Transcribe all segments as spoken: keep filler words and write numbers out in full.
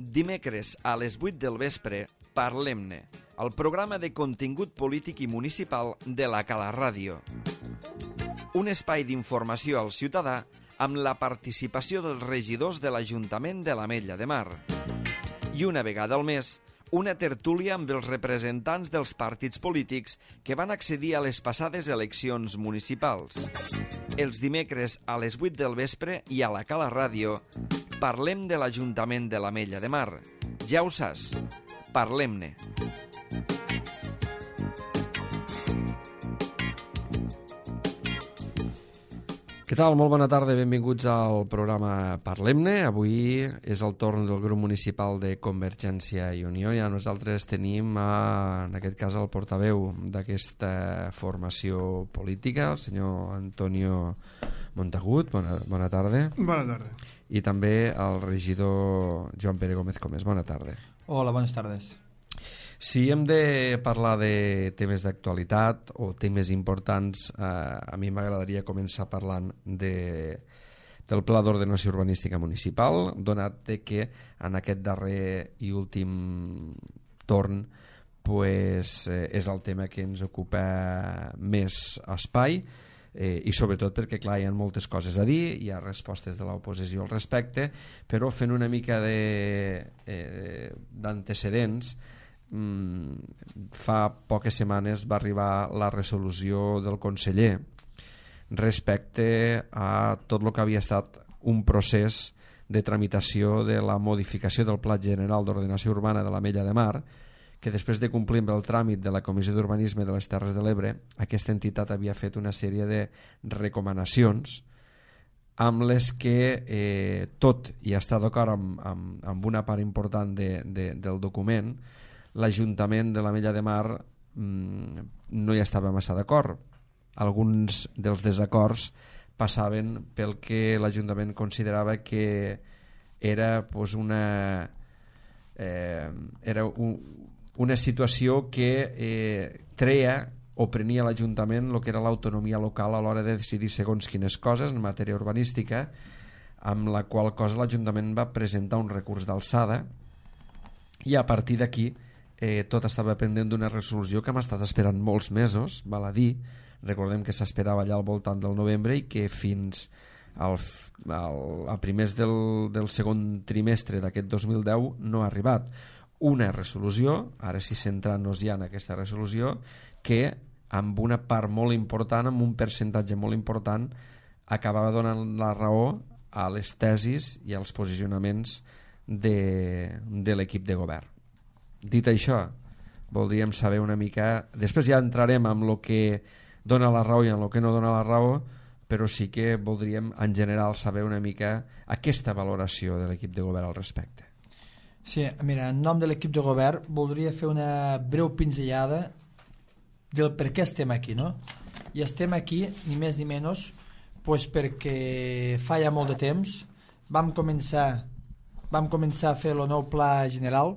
Dimecres a les vuit del vespre, Parlem-ne, el programa de contingut polític i municipal de la Cala Ràdio. Un espai d'informació al ciutadà amb la participació dels regidors de l'Ajuntament de l'Ametlla de Mar. I una vegada al mes, una tertúlia amb els representants dels partits polítics que van accedir a les passades eleccions municipals. Els dimecres a les vuit del vespre i a la Cala Ràdio parlem de l'Ajuntament de l'Ametlla de Mar. Ja ho saps, parlem-ne. Què tal? Molt bona tarda, benvinguts al programa Parlem-ne. Avui és el torn del grup municipal de Convergència i Unió i nosaltres tenim, a, en aquest cas, el portaveu d'aquesta formació política, el senyor Antonio Montagut. Bona, bona tarda. Bona tarda. I també el regidor Joan Pere Gómez Comés. Bona tarda. Hola, bones tardes. Si hem de parlar de temes d'actualitat o temes importants, eh, a mi m'agradaria començar parlant de, del Pla d'Ordenació Urbanística Municipal, donat que en aquest darrer i últim torn pues, eh, és el tema que ens ocupa més espai, eh, i sobretot perquè clar, hi ha moltes coses a dir, hi ha respostes de l'oposició al respecte, però fent una mica de, eh, d'antecedents. Mm, fa poques setmanes va arribar la resolució del conseller respecte a tot el que havia estat un procés de tramitació de la modificació del Pla General d'Ordenació Urbana de l'Ametlla de Mar, que després de complir amb el tràmit de la Comissió d'Urbanisme de les Terres de l'Ebre, aquesta entitat havia fet una sèrie de recomanacions amb les que eh, tot i estar d'acord amb, amb, amb una part important de, de, del document, l'Ajuntament de l'Ametlla de Mar mmm, no hi estava massa d'acord. Alguns dels desacords passaven pel que l'Ajuntament considerava que era pues, una, eh, era un, una situació que eh, treia o prenia l'Ajuntament el que era l'autonomia local a l'hora de decidir segons quines coses en matèria urbanística, amb la qual cosa l'Ajuntament va presentar un recurs d'alçada i a partir d'aquí Eh, tot estava pendent d'una resolució que hem estat esperant molts mesos, val a dir. Recordem que s'esperava allà al voltant del novembre i que fins al, al, a primers del, del segon trimestre d'aquest dos mil deu no ha arribat una resolució, ara sí centrant-nos ja en aquesta resolució, que amb una part molt important, amb un percentatge molt important, acabava donant la raó a les tesis i als posicionaments de, de l'equip de govern. Dit això, voldríem saber una mica, després ja entrarem en el que dona la raó i en el que no dona la raó, però sí que voldríem en general saber una mica aquesta valoració de l'equip de govern al respecte. Sí, mira, en nom de l'equip de govern voldria fer una breu pinzellada del per què estem aquí, no? I estem aquí, ni més ni menys, pues perquè fa ja molt de temps vam començar, vam començar a fer el nou pla general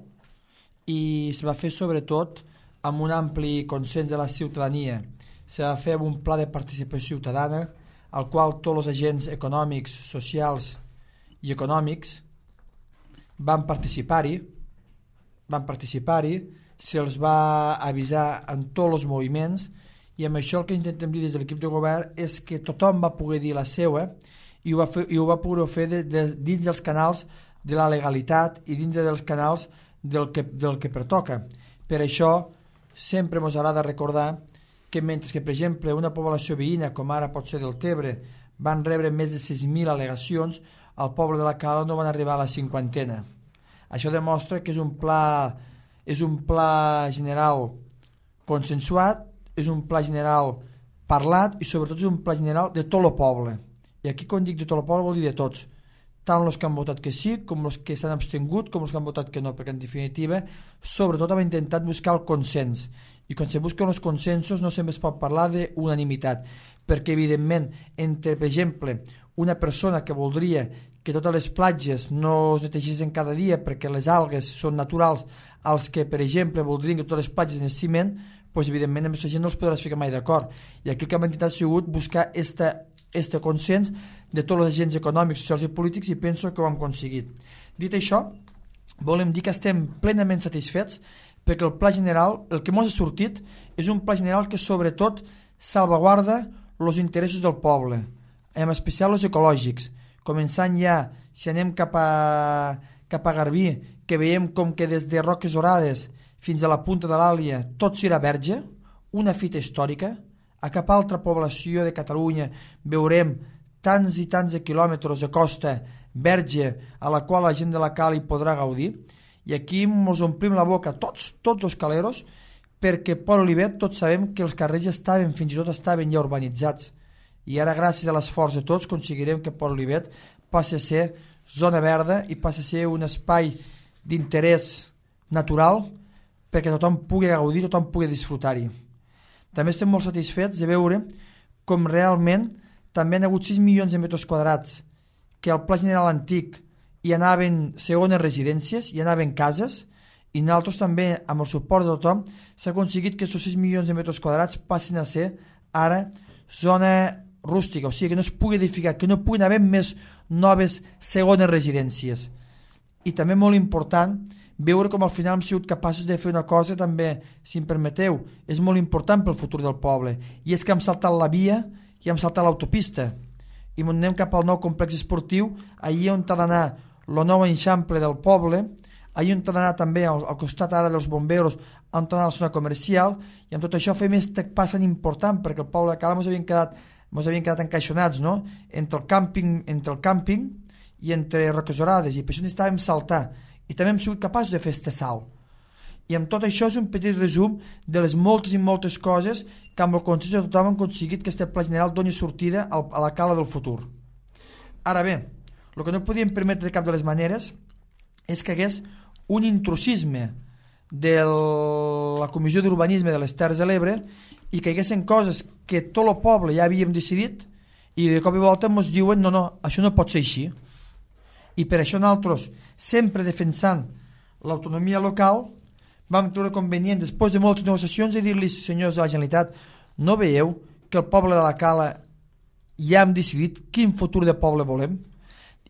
i es va fer sobretot amb un ampli consens de la ciutadania. Se va fer un pla de participació ciutadana al qual tots els agents econòmics, socials i econòmics van participar-hi, van participar-hi, se'ls va avisar en tots els moviments i amb això el que intentem dir des de l'equip de govern és que tothom va poder dir la seva i ho va, fer, i ho va poder fer de, de, dins dels canals de la legalitat i dins dels canals del que, del que pertoca. Per això sempre ens agrada recordar que mentre que, per exemple, una població veïna, com ara pot ser del Tebre, van rebre més de sis mil al·legacions, al poble de la Cala no van arribar a la cinquantena. Això demostra que és un pla, és un pla general consensuat, és un pla general parlat i sobretot és un pla general de tot el poble. I aquí quan dic de tot el poble vol dir de tots, tant els que han votat que sí, com els que s'han abstingut, com els que han votat que no, perquè en definitiva, sobretot hem intentat buscar el consens. I quan se busquen els consensos no sempre es pot parlar d'unanimitat, perquè evidentment, entre, per exemple, una persona que voldria que totes les platges no es netegessin cada dia perquè les algues són naturals, als que, per exemple, voldrien que totes les platges en ciment, doncs evidentment amb aquesta gent no els podràs ficar mai d'acord. I aquí el que hem intentat ha sigut buscar esta este consens de tots els agents econòmics, socials i polítics i penso que ho hem aconseguit. Dit això, volem dir que estem plenament satisfets perquè el pla general, el que ens ha sortit, és un pla general que sobretot salvaguarda els interessos del poble, en especial els ecològics, començant ja, si anem cap a, cap a Garbí, que veiem com que des de Roques Orades fins a la punta de l'Àlia tot serà verge, una fita històrica. A cap altra població de Catalunya veurem tants i tants de quilòmetres de costa verge a la qual la gent de la Cala hi podrà gaudir, i aquí ens omplim la boca tots, tots els caleros, perquè Port Olivet tots sabem que els carrers ja estaven, fins i tot estaven ja urbanitzats, i ara gràcies a l'esforç de tots aconseguirem que Port Olivet passi a ser zona verda i passi a ser un espai d'interès natural perquè tothom pugui gaudir, tothom pugui disfrutar-hi. També estem molt satisfets de veure com realment també han hagut sis milions de metres quadrats que al Pla General Antic hi anaven segones residències, hi anaven cases, i nosaltres també, amb el suport de tothom, s'ha aconseguit que aquests sis milions de metres quadrats passin a ser ara zona rústica, o sigui que no es pugui edificar, que no puguin haver més noves segones residències. I també molt important veure com al final hem sigut capaços de fer una cosa també, si em permeteu, és molt important pel futur del poble, i és que hem saltat la via i hem saltat l'autopista, i anem cap al nou complex esportiu, allí on ha d'anar el nou eixample del poble, allí on ha d'anar també al, al costat ara dels bomberos, on ha d'anar a la zona comercial, i amb tot això fem este pas tan important, perquè el poble de Cala ens havien quedat, ens havien quedat encaixonats, no? entre el càmping, entre el càmping i entre Roques Orades, i per això necessitàvem saltar, i també hem sigut capaços de fer este salt. I amb tot això és un petit resum de les moltes i moltes coses que amb el consens de tothom han aconseguit que este pla general doni sortida a la Cala del futur. Ara bé, el que no podíem permetre de cap de les maneres és que hagués un intrusisme de la Comissió d'Urbanisme de les Terres de l'Ebre i que hi haguessin coses que tot el poble ja havíem decidit i de cop i volta ens diuen no, no, això no pot ser així. I per això nosaltres, sempre defensant l'autonomia local, vam treure convenient, després de moltes negociacions, de dir-li, senyors de la Generalitat, no veieu que el poble de la Cala ja hem decidit quin futur de poble volem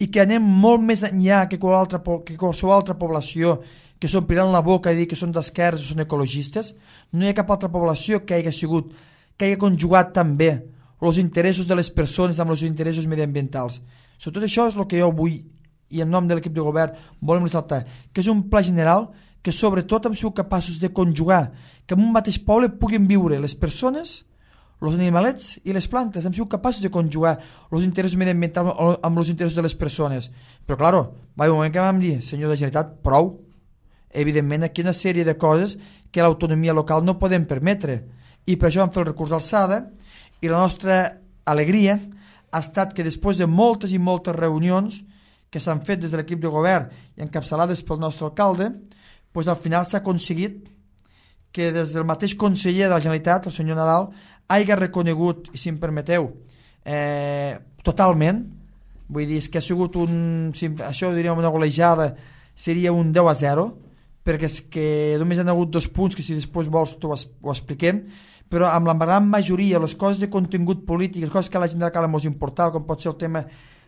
i que anem molt més enllà que, altra, que qualsevol altra població que s'ompliran la boca i dir que són d'esquerres o són ecologistes? No hi ha cap altra població que hagi sigut, que hagi conjugat també els interessos de les persones amb els interessos mediambientals. Sobretot això és el que jo vull, i en nom de l'equip de govern volem ressaltar, que és un pla general que sobretot hem sigut capaços de conjugar, que en un mateix poble puguin viure les persones, els animalets i les plantes. Hem sigut capaços de conjugar els interessos mediambientals amb els interessos de les persones. Però, claro, va haver un moment que vam dir, senyor de la Generalitat, prou. Evidentment, aquí hi ha una sèrie de coses que l'autonomia local no podem permetre. I per això vam fer el recurs d'alçada, i la nostra alegria ha estat que després de moltes i moltes reunions que s'han fet des de l'equip de govern i encapçalades pel nostre alcalde, doncs al final s'ha aconseguit que des del mateix conseller de la Generalitat, el senyor Nadal, hagi reconegut, i si em permeteu, eh, totalment, vull dir, és que ha sigut un, si això ho diríem una golejada, seria un deu a zero, perquè és que només hi ha hagut dos punts que si després vols ho, ho expliquem, però amb la gran majoria, les coses de contingut polític, les coses que a la gent de la Cala ens importava, com pot ser el tema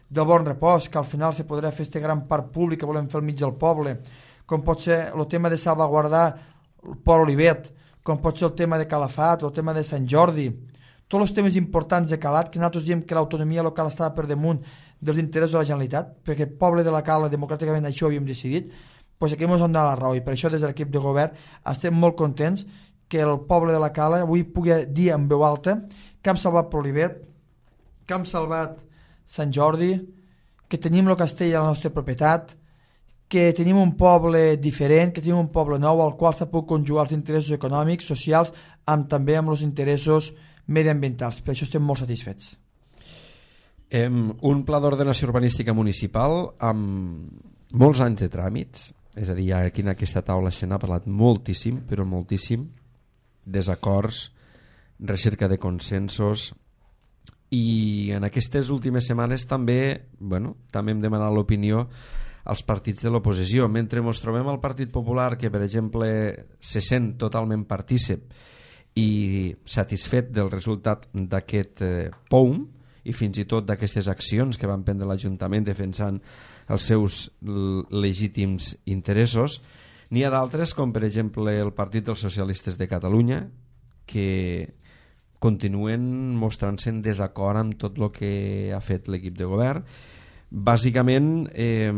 del bon repòs, que al final se podrà fer este gran parc públic que volem fer al mig del poble, com pot ser el tema de salvaguardar el Port Olivet, com pot ser el tema de Calafat, el tema de Sant Jordi, tots els temes importants de Calat, que nosaltres diem que l'autonomia local estava per damunt dels interessos de la Generalitat, perquè el poble de la Cala democràticament això ho havíem decidit, doncs aquí ens han donat la raó, i per això des de l'equip de govern estem molt contents que el poble de la Cala avui pugui dir en veu alta que hem salvat Port Olivet, que hem salvat Sant Jordi, que tenim el castell a la nostra propietat, que tenim un poble diferent, que tenim un poble nou al qual s'ha pogut conjugar els interessos econòmics, socials, amb també amb els interessos mediambientals. Per això estem molt satisfets. Um, un pla d'ordenació urbanística municipal amb molts anys de tràmits, és a dir, aquí en aquesta taula se n'ha parlat moltíssim, però moltíssim, desacords, recerca de consensos, i en aquestes últimes setmanes també, bueno, també hem demanat l'opinió als partits de l'oposició. Mentre ens trobem al Partit Popular, que per exemple se sent totalment partícip i satisfet del resultat d'aquest eh, P O U M i fins i tot d'aquestes accions que van prendre l'Ajuntament defensant els seus legítims interessos. N'hi ha d'altres, com per exemple el Partit dels Socialistes de Catalunya, que continuen mostrant-se en desacord amb tot el que ha fet l'equip de govern. Bàsicament, eh,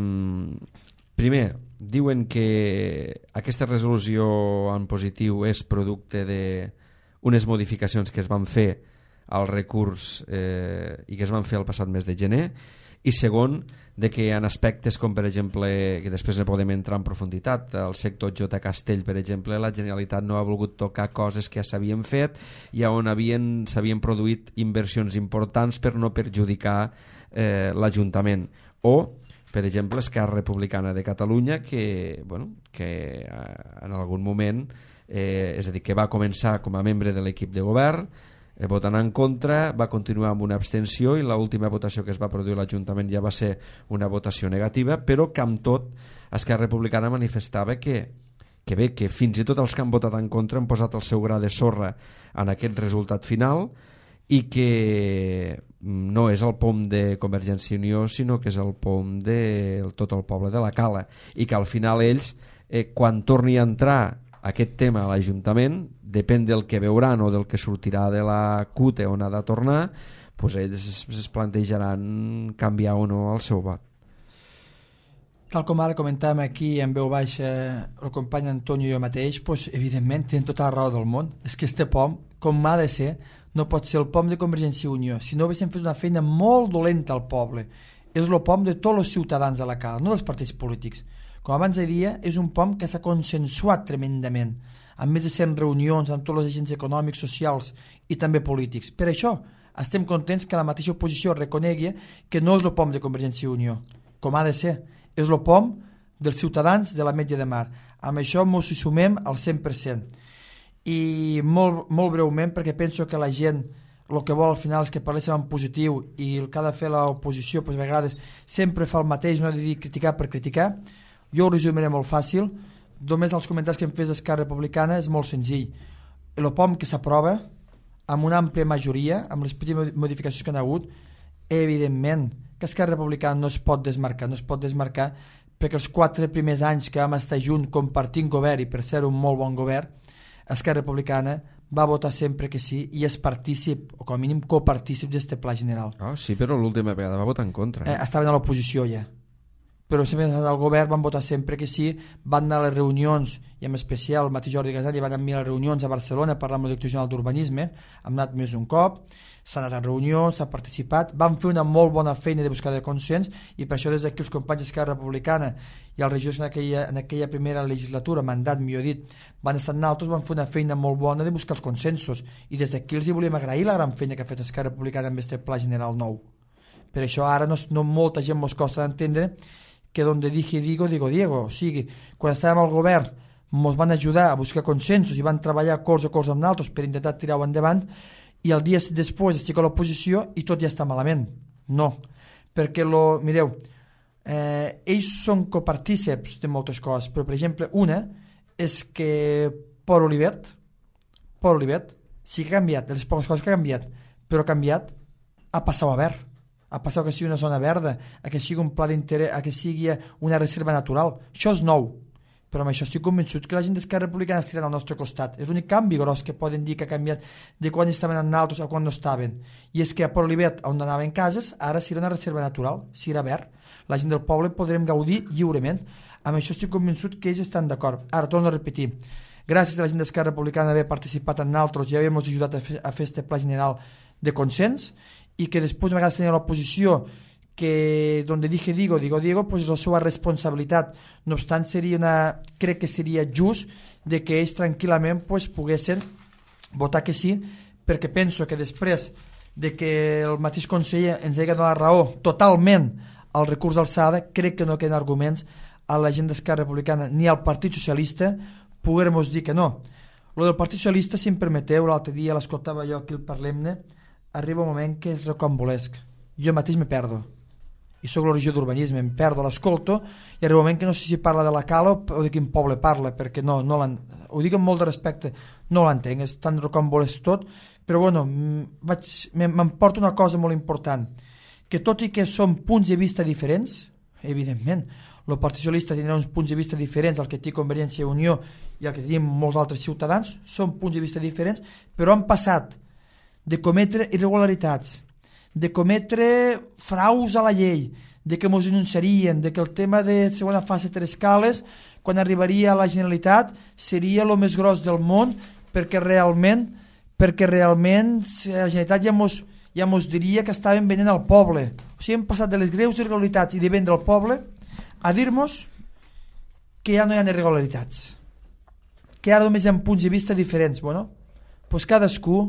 primer, diuen que aquesta resolució en positiu és producte d'unes modificacions que es van fer al recurs eh, i que es van fer el passat mes de gener, i segon, de que en aspectes com per exemple, que després ne podem entrar en profunditat, el sector J. Castell per exemple, la Generalitat no ha volgut tocar coses que ja s'havien fet i on havien, s'havien produït inversions importants per no perjudicar eh, l'Ajuntament. O per exemple, Esquerra Republicana de Catalunya, que, bueno, que en algun moment, eh, és a dir, que va començar com a membre de l'equip de govern, eh, votant en contra, va continuar amb una abstenció i l'última votació que es va produir a l'Ajuntament ja va ser una votació negativa, però que amb tot Esquerra Republicana manifestava que, que bé, que fins i tot els que han votat en contra han posat el seu gra de sorra en aquest resultat final i que no és el pom de Convergència i Unió, sinó que és el pom de tot el poble de la Cala, i que al final ells, eh, quan torni a entrar aquest tema a l'Ajuntament, depèn del que veuran o del que sortirà de la C U T on ha de tornar, doncs ells es plantejaran canviar o no el seu vot. Tal com ara comentàvem aquí en veu baixa el company Antonio i jo mateix, doncs, evidentment tenen tota la raó del món. És que este pom, com ha de ser, no pot ser el pom de Convergència i Unió, si no haguéssim fet una feina molt dolenta al poble. És el pom de tots els ciutadans de la Cala, no dels partits polítics. Com abans deia, és un pom que s'ha consensuat tremendament, amb més de cent reunions amb tots els agents econòmics, socials i també polítics. Per això estem contents que la mateixa oposició reconegui que no és el pom de Convergència i Unió, com ha de ser, és el pom dels ciutadans de l'Ametlla de Mar. Amb això ens hi sumem al cent per cent. I molt, molt breument, perquè penso que la gent el que vol al final és que parléssim en positiu i el que ha de fer l'oposició pues, a vegades sempre fa el mateix, no ha de dir criticar per criticar. Jo ho resumiré molt fàcil, només els comentaris que em fes d'Esquerra Republicana és molt senzill. El pom que s'aprova amb una àmplia majoria, amb les petites modificacions que han hagut, evidentment que Esquerra Republicana no es pot desmarcar, no es pot desmarcar perquè els quatre primers anys que vam estar junts compartint govern i per ser un molt bon govern, Esquerra Republicana va votar sempre que sí i és partícip, o com a mínim copartícip d'este pla general. Oh, sí, però l'última vegada va votar en contra. Eh? Eh, estaven a l'oposició ja. Però sempre al govern van votar sempre que sí, van anar a les reunions, i en especial el mateix Jordi Gasall van anar a les reunions a Barcelona per la Direcció General d'Urbanisme, hem anat més un cop, s'ha anat a reunions, s'ha participat, van fer una molt bona feina de buscar de consens, i per això des d'aquí els companys d'Esquerra Republicana i els regidors en aquella, en aquella primera legislatura, mandat millor dit, van estar nosaltres, van fer una feina molt bona de buscar els consensos, i des d'aquí els hi volíem agrair la gran feina que ha fet Esquerra Republicana amb aquest pla general nou. Per això ara no, no molta gent mos costa d'entendre que donde dije digo, digo Diego. O sigui, quan estàvem al govern ens van ajudar a buscar consensos i van treballar colze a colze amb nosaltres per intentar tirar-ho endavant, i el dia després estic a l'oposició i tot ja està malament. No, perquè, lo, mireu, eh, ells són copartíceps de moltes coses, però per exemple una és que Pol Olivet, Pol Olivet sí que ha canviat, de les poques coses que ha canviat, però ha canviat a passar a verd, a passar que sigui una zona verda, a que sigui un pla d'interès, a que sigui una reserva natural. Això és nou, però amb això estic convençut que la gent d'Esquerra Republicana estirà al nostre costat. És l'únic canvi gros que poden dir que ha canviat de quan estaven en altres a quan no estaven. I és que a Port Olivet, on anaven cases, ara serà una reserva natural, serà verd. La gent del poble podrem gaudir lliurement. Amb això estic convençut que ells estan d'acord. Ara, torno a repetir, gràcies a la gent d'Esquerra Republicana d'haver participat en altres i haver-nos ajudat a fer, a fer este pla general de consens, i que després a vegades tenia l'oposició que donde dije digo, digo Diego, pues la seva responsabilitat. No obstant, seria una, crec que seria just de que ells tranquil·lament pues, poguessin votar que sí, perquè penso que després de que el mateix conseller ens hagi donat raó totalment al recurs d'alçada, crec que no queden arguments a la gent d'Esquerra Republicana ni al Partit Socialista poguem-nos dir que no. Lo del Partit Socialista, si em permeteu, l'altre dia l'escoltava jo aquí al Parlem-ne, arriba un moment que és rocambolesc. Jo mateix me perdo. i soc la regió d'urbanisme, em perdo, l'escolto, i arriba un moment que no sé si parla de la Cala o de quin poble parla, perquè no, no ho dic amb molt de respecte, no l'entenc, és tan rocambolesc tot, però bueno, m'emporta una cosa molt important, que tot i que són punts de vista diferents, evidentment, el Partit Socialista tindrà uns punts de vista diferents al que té Convergència i Unió i al que tenim molts altres ciutadans, són punts de vista diferents, però han passat de cometre irregularitats, de cometre fraus a la llei, de que ens denunciarien, de que el tema de segona fase tres cales, quan arribaria a la Generalitat, seria el més gros del món, perquè realment, perquè realment la Generalitat ja mos, ja mos diria que estaven venent al poble. O sigui, hem passat de les greus irregularitats i de vendre al poble a dir-nos que ja no hi ha irregularitats, que ara només hi ha punts de vista diferents. Bueno, doncs cadascú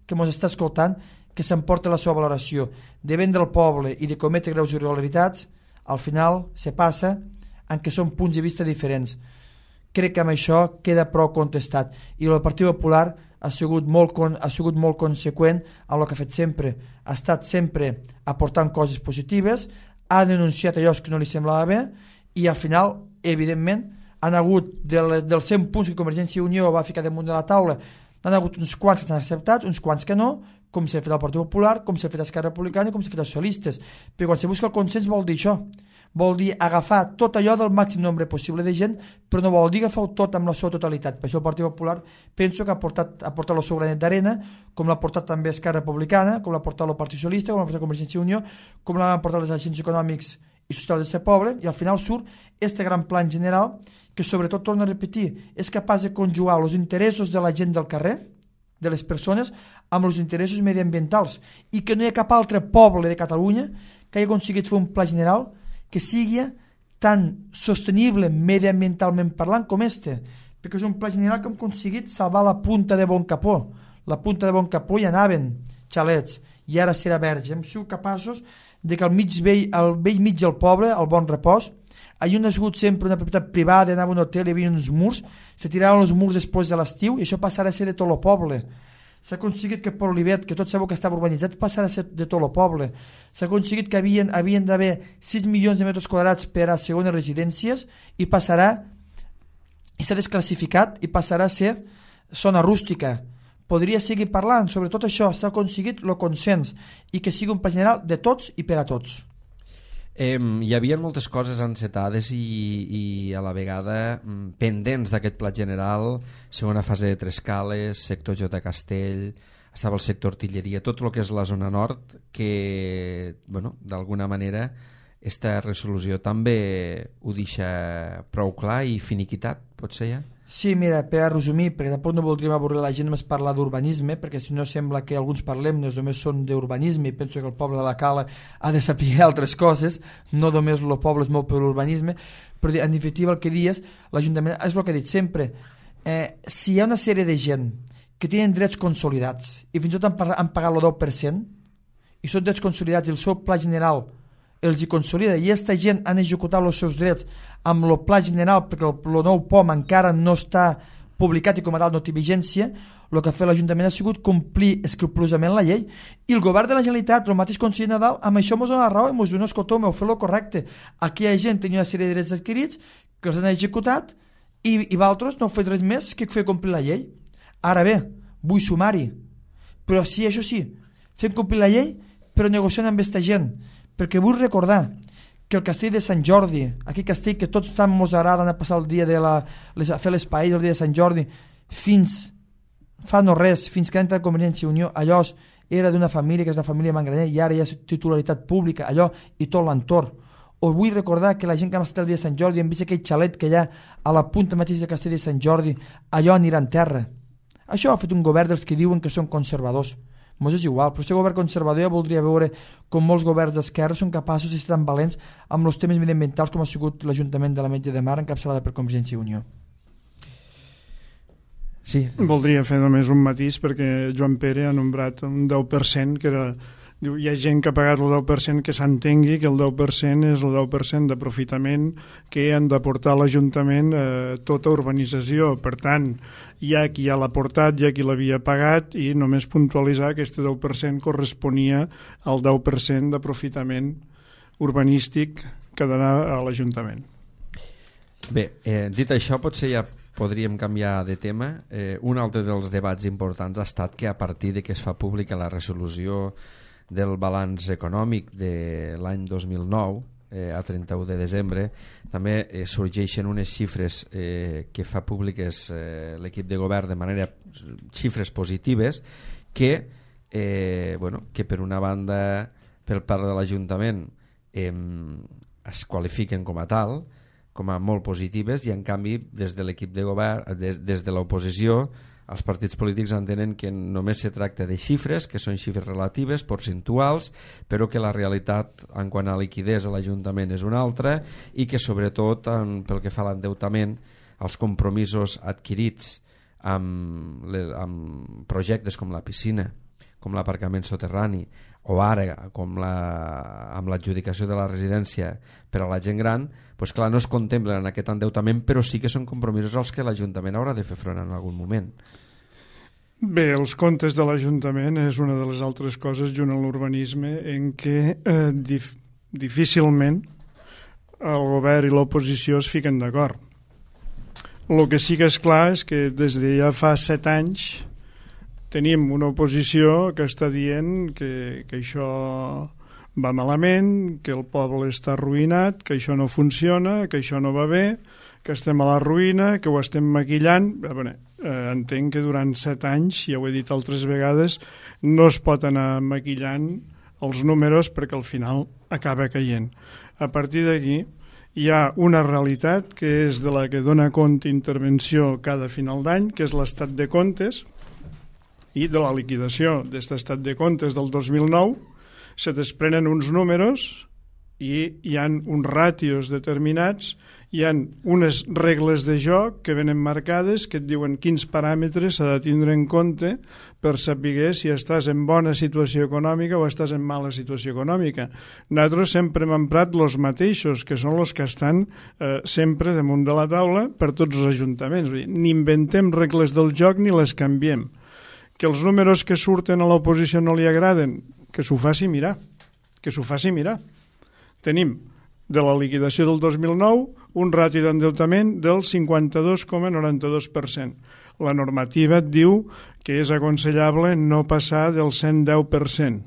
que ens està escoltant que s'emporta la seva valoració de vendre al poble i de cometre greus irregularitats, al final se passa en què són punts de vista diferents. Crec que amb això queda prou contestat, i el Partit Popular ha sigut molt, con, ha sigut molt conseqüent amb el que ha fet sempre, ha estat sempre aportant coses positives, ha denunciat allò que no li semblava bé, i al final, evidentment, han hagut del, dels cent punts que Convergència i Unió va ficar damunt de la taula, n'han hagut uns quants que s'han acceptat, uns quants que no, com s'ha fet el Partit Popular, com s'ha fet Esquerra Republicana i com s'ha fet els socialistes. Però quan se busca el consens vol dir això, vol dir agafar tot allò del màxim nombre possible de gent, però no vol dir agafar tot amb la seva totalitat. Per això el Partit Popular penso que ha portat, ha portat el seu granet d'arena, com l'ha portat també Esquerra Republicana, com l'ha portat el Partit Socialista, com l'ha portat Convergència i Unió, com l'han portat les agents econòmics i socials de ser poble, i al final surt este gran plan general que sobretot, torno a repetir, és capaç de conjugar els interessos de la gent del carrer, de les persones, amb els interessos mediambientals, i que no hi ha cap altre poble de Catalunya que hagi aconseguit fer un pla general que sigui tan sostenible mediambientalment parlant com este, perquè és un pla general que hem aconseguit salvar la punta de Bon Capó. La punta de Bon Capó hi anaven xalets, i ara serà verge. Hem sigut capaços de que al mig vell, al vell mig del poble, al Bon Repòs, allà on ha sigut sempre una propietat privada, anava a un hotel, hi havia uns murs, se tiraven els murs després de l'estiu, i això passarà a ser de tot el poble. S'ha aconseguit que per Olivet, que tots sabeu que estava urbanitzat, passarà a ser de tot el poble. S'ha aconseguit que havien, havien d'haver sis milions de metres quadrats per a segones residències, i passarà, i s'ha desclassificat, i passarà a ser zona rústica. Podria seguir parlant sobre tot això. S'ha aconseguit el consens, i que sigui un pla general de tots i per a tots. Eh, hi havia moltes coses encetades i, i a la vegada pendents d'aquest pla general, segona fase de Trescales, sector J. Castell, estava el sector artilleria, tot el que és la zona nord, que bueno, d'alguna manera esta resolució també ho deixa prou clar i finiquitat, potser ja? Sí, mira, per a resumir, perquè tampoc no voldríem avorrir la gent només parlar d'urbanisme, perquè si no sembla que alguns parlem només són d'urbanisme, i penso que el poble de la Cala ha de saber altres coses, no només el poble és molt per l'urbanisme, però en definitiva el que dius, l'Ajuntament, és el que he dit sempre, eh, si hi ha una sèrie de gent que tenen drets consolidats, i fins i tot han, han pagat el deu per cent, i són drets consolidats i el seu pla general els hi consolida, i aquesta gent han executat els seus drets amb el pla general, perquè el, el nou P O M encara no està publicat i com a tal no té vigència, el que ha fet l'Ajuntament ha sigut complir escrupolosament la llei, i el govern de la Generalitat, el mateix conseller Nadal, amb això ens dona raó i ens diu, no, escolteu, m'heu fet el correcte, aquí hi ha gent tenia una sèrie de drets adquirits que els han executat, i, i vosaltres no heu fet res més que fer complir la llei. Ara bé, vull sumar-hi, però sí, això sí, fem complir la llei però negociant amb aquesta gent, perquè vull recordar que el castell de Sant Jordi, aquell castell que tots tant ens agrada anar a passar el dia de la, les, a fer les paelles el dia de Sant Jordi, fins fa no res, fins que entra Convergència i Unió, allò era d'una família que és la família Mangraner, i ara hi ha titularitat pública, allò i tot l'entorn. Us vull recordar que la gent que ha estat el dia de Sant Jordi hem vist aquell xalet que hi ha a la punta mateixa del castell de Sant Jordi, allò anirà en terra. Això ha fet un govern dels que diuen que són conservadors. Mos és igual, però aquest govern conservador ja voldria veure com molts governs d'esquerra són capaços de ser tan valents amb els temes mediambientals com ha sigut l'Ajuntament de la Metge de Mar encapçalada per Convergència i Unió. Sí. Voldria fer només un matís perquè Joan Pere ha nombrat un deu per cent que era... Diu, hi ha gent que ha pagat el deu per cent, que s'entengui que el deu per cent és el deu per cent d'aprofitament que han d'aportar a l'Ajuntament eh, tota urbanització. Per tant, hi ha qui ja l'ha portat, hi ha qui l'havia pagat, i només puntualitzar que aquest deu per cent corresponia al deu per cent d'aprofitament urbanístic que donà a l'Ajuntament. Bé, eh, dit això, potser ja podríem canviar de tema. Eh, un altre dels debats importants ha estat que a partir de que es fa pública la resolució del balanç econòmic de l'any dos mil nou, eh, a trenta-u de desembre, també eh, sorgeixen unes xifres eh, que fa públiques eh, l'equip de govern de manera, xifres positives, que, eh, bueno, que per una banda, per part de l'Ajuntament, eh, es qualifiquen com a tal, com a molt positives, i en canvi des de l'equip de govern, des, des de l'oposició, els partits polítics entenen que només se tracta de xifres, que són xifres relatives, percentuals, però que la realitat en quant a liquidesa a l'Ajuntament és una altra, i que sobretot en, pel que fa a l'endeutament, els compromisos adquirits amb, le, amb projectes com la piscina, com l'aparcament soterrani, o ara com la, amb l'adjudicació de la residència per a la gent gran, doncs clar, no es contemplen en aquest endeutament, però sí que són compromisos als que l'Ajuntament haurà de fer front en algun moment. Bé, els comptes de l'Ajuntament és una de les altres coses, junt a l'urbanisme, en què eh, dif difícilment el govern i l'oposició es fiquen d'acord. El que sí que és clar és que des de ja fa set anys tenim una oposició que està dient que, que això va malament, que el poble està arruïnat, que això no funciona, que això no va bé, que estem a la ruïna, que ho estem maquillant. Bé, eh, entenc que durant set anys, ja ho he dit altres vegades, no es pot anar maquillant els números perquè al final acaba caient. A partir d'aquí hi ha una realitat que és de la que dona compte intervenció cada final d'any, que és l'estat de comptes, i de la liquidació d'aquest estat de comptes del dos mil nou se desprenen uns números i hi ha uns ràtios determinats, hi ha unes regles de joc que venen marcades que et diuen quins paràmetres s'ha de tindre en compte per saber si estàs en bona situació econòmica o estàs en mala situació econòmica. Nosaltres sempre hem emprat els mateixos, que són els que estan eh, sempre damunt de la taula per tots els ajuntaments. Ni inventem regles del joc ni les canviem. Que els números que surten a l'oposició no li agraden, que s'ho faci mirar, que s'ho faci mirar. Tenim de la liquidació del dos mil nou un rati d'endeutament del cinquanta-dos coma noranta-dos per cent. La normativa et diu que és aconsellable no passar del cent deu per cent.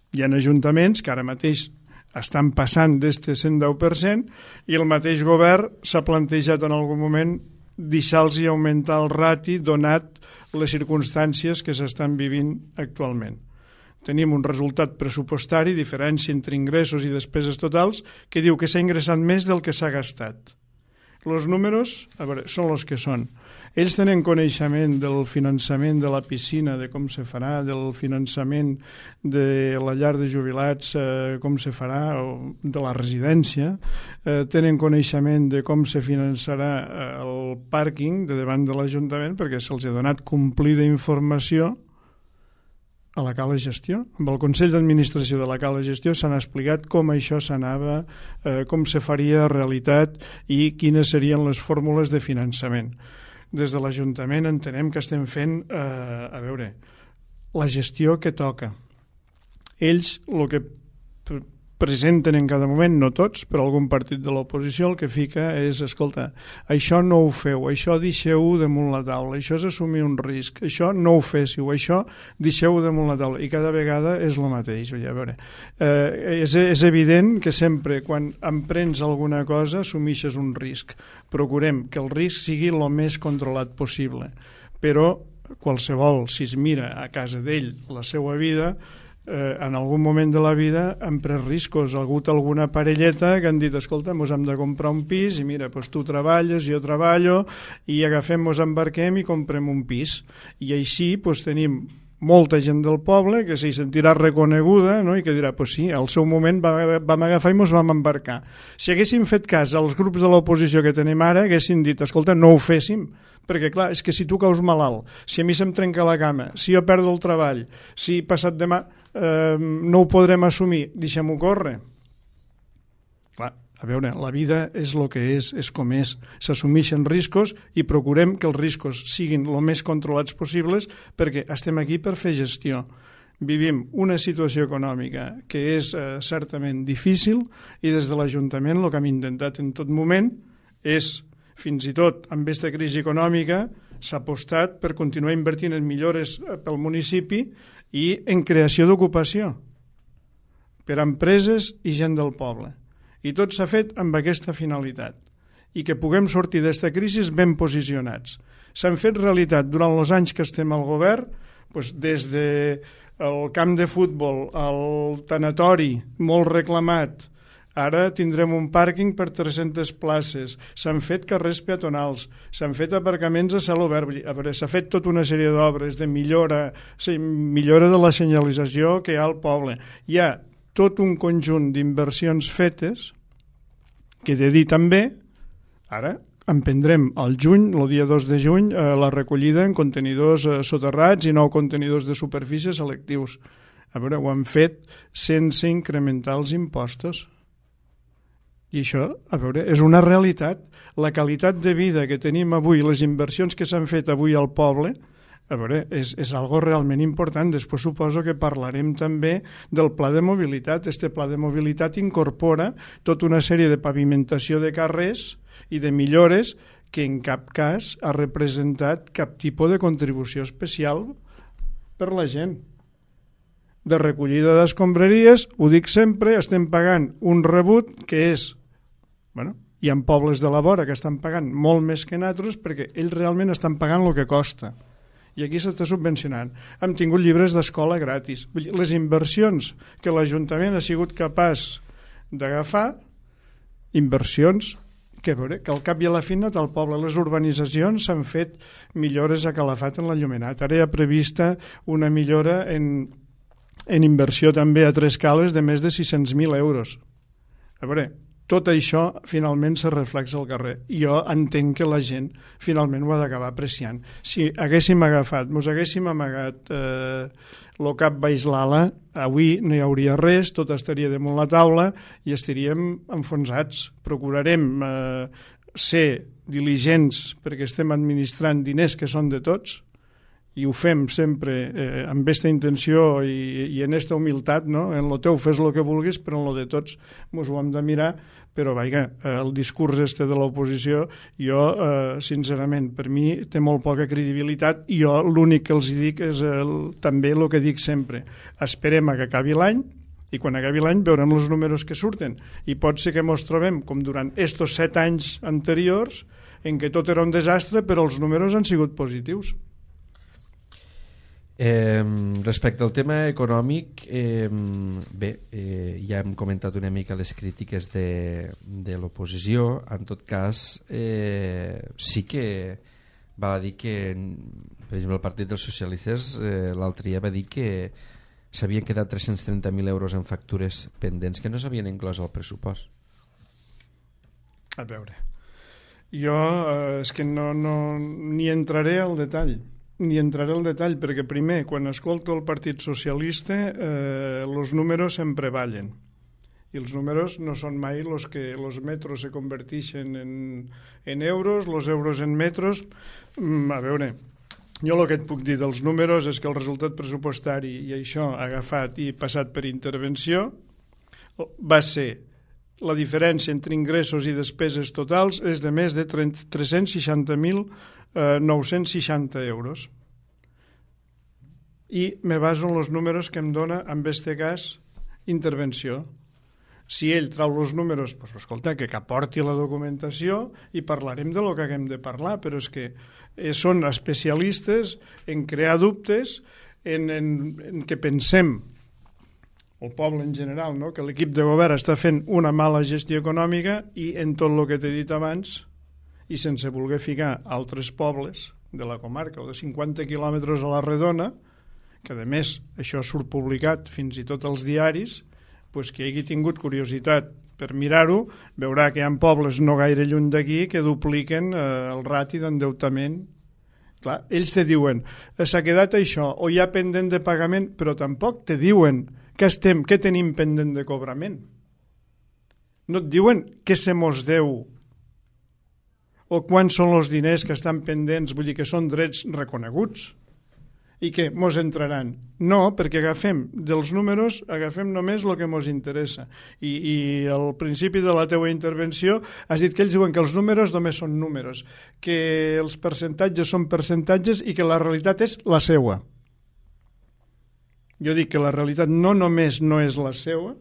Hi ha ajuntaments que ara mateix estan passant d'aquest cent deu per cent i el mateix govern s'ha plantejat en algun moment deixar-los i augmentar el rati donat les circumstàncies que s'estan vivint actualment. Tenim un resultat pressupostari, diferència entre ingressos i despeses totals, que diu que s'ha ingressat més del que s'ha gastat. Els números, a veure, són els que són. Ells tenen coneixement del finançament de la piscina, de com se farà, del finançament de la llar de jubilats, eh, com se farà, o de la residència. Eh, tenen coneixement de com se finançarà eh, el pàrquing de davant de l'Ajuntament, perquè se'ls ha donat complida informació a la Cala Gestió. Amb el Consell d'Administració de la Cala Gestió s'han explicat com això s'anava, eh, com se faria realitat i quines serien les fórmules de finançament. Des de l'Ajuntament entenem que estem fent, eh, a veure, la gestió que toca. Ells el que presenten en cada moment, no tots, però algun partit de l'oposició el que fica és, escolta, això no ho feu, això deixeu-ho damunt la taula, això és assumir un risc, això no ho féssiu, això deixeu-ho damunt la taula, i cada vegada és el mateix. A veure, eh, és, és evident que sempre quan emprens alguna cosa assumeixes un risc. Procurem que el risc sigui el més controlat possible, però qualsevol, si es mira a casa d'ell la seva vida, Eh, en algun moment de la vida han pres riscos. Ha hagut alguna parelleta que han dit, escolta, mos hem de comprar un pis i mira, doncs tu treballes, jo treballo i agafem, mos embarquem i comprem un pis. I així doncs, tenim molta gent del poble que s'hi sentirà reconeguda, no? I que dirà, pues sí, al seu moment vam agafar i mos vam embarcar. Si haguéssim fet cas als grups de l'oposició que tenim ara, haguessin dit, escolta, no ho féssim, perquè clar, és que si tu caus malalt, si a mi se'm trenca la cama, si jo perdo el treball, si passat demà eh, no ho podrem assumir, deixem-ho córrer. Clar, a veure, la vida és el que és, és com és, s'assumeixen riscos i procurem que els riscos siguin el més controlats possibles perquè estem aquí per fer gestió. vivim una situació econòmica que és eh, certament difícil i des de l'Ajuntament el que hem intentat en tot moment és, fins i tot amb aquesta crisi econòmica, s'ha apostat per continuar invertint en millores pel municipi i en creació d'ocupació per a empreses i gent del poble. I tot s'ha fet amb aquesta finalitat i que puguem sortir d'esta crisi ben posicionats. S'han fet realitat durant els anys que estem al govern, doncs des del camp de futbol, el tanatori, molt reclamat, ara tindrem un pàrquing per tres-centes places, s'han fet carrers peatonals, s'han fet aparcaments a cel obert, s'ha fet tota una sèrie d'obres de millora, millora de la senyalització que hi ha al poble. Hi ha tot un conjunt d'inversions fetes que he de dir també, ara emprendrem al juny, el dia dos de juny, eh, la recollida en contenidors eh, soterrats i nou contenidors de superfície selectius. A veure, ho han fet sense incrementar els impostos. I això, a veure, és una realitat. La qualitat de vida que tenim avui, les inversions que s'han fet avui al poble, a veure, és, és algo realment important. Després suposo que parlarem també del pla de mobilitat. Este pla de mobilitat incorpora tota una sèrie de pavimentació de carrers i de millores que en cap cas ha representat cap tipus de contribució especial per la gent. De recollida d'escombraries, ho dic sempre, estem pagant un rebut que és, bueno, hi ha pobles de la vora que estan pagant molt més que nosaltres perquè ells realment estan pagant el que costa. I aquí s'està subvencionant. Hem tingut llibres d'escola gratis. Les inversions que l'Ajuntament ha sigut capaç d'agafar, inversions que, veure, que al cap i a la fi no al poble. Les urbanitzacions s'han fet millores a Calafat en l'enllumenat. Ara hi ha prevista una millora en, en inversió també a Tres Cales de més de sis-cents mil euros. A veure, tot això finalment se reflexa al carrer. Jo entenc que la gent finalment ho ha d'acabar apreciant. Si haguéssim agafat, mos haguéssim amagat eh, el cap baix l'ala, avui no hi hauria res, tot estaria damunt la taula i estaríem enfonsats. Procurarem eh, ser diligents perquè estem administrant diners que són de tots i ho fem sempre eh, amb aquesta intenció i, i en aquesta humilitat, no? En lo teu fes el que vulguis, però en lo de tots mos ho hem de mirar, però vaja, el discurs este de l'oposició, jo, eh, sincerament, per mi té molt poca credibilitat i jo l'únic que els dic és el, també el que dic sempre. Esperem a que acabi l'any i quan acabi l'any veurem els números que surten i pot ser que mos trobem com durant estos set anys anteriors en què tot era un desastre però els números han sigut positius. Eh, respecte al tema econòmic, eh, bé, eh, ja hem comentat una mica les crítiques de, de l'oposició. En tot cas, eh, sí que val a dir que, per exemple, el Partit dels Socialistes eh, l'altre dia va dir que s'havien quedat tres-cents trenta mil euros en factures pendents que no s'havien inclòs al pressupost. A veure, jo eh, és que no, no ni entraré al detall. Ni entraré al detall, perquè primer, quan escolto el Partit Socialista, eh, els números sempre ballen. I els números no són mai els que els metros se converteixen en, en euros, els euros en metros. Mm, a veure, jo el que et puc dir dels números és que el resultat pressupostari, i això agafat i passat per intervenció, va ser la diferència entre ingressos i despeses totals és de més de tres-cents seixanta mil nou-cents seixanta euros. I me baso en els números que em dona, en aquest cas, intervenció. Si ell trau els números, pues, escolta, que aporti la documentació i parlarem de lo que haguem de parlar, però és que eh, són especialistes en crear dubtes, en, en, en que pensem, el poble en general, no? Que l'equip de govern està fent una mala gestió econòmica i en tot el que t'he dit abans, i sense voler ficar altres pobles de la comarca o de cinquanta quilòmetres a la redona, que a més això surt publicat fins i tot als diaris, pues qui hagi tingut curiositat per mirar-ho, veurà que hi ha pobles no gaire lluny d'aquí que dupliquen eh, el rati d'endeutament. Clar, ells te diuen, s'ha quedat això, o hi ha pendent de pagament, però tampoc te diuen que estem, que tenim pendent de cobrament. No et diuen que se mos deu o quants són els diners que estan pendents, vull dir que són drets reconeguts. I què? Mos entraran? No, perquè agafem dels números, agafem només el que mos interessa. I, i al principi de la teua intervenció has dit que ells diuen que els números només són números, que els percentatges són percentatges i que la realitat és la seua. Jo dic que la realitat no només no és la seua,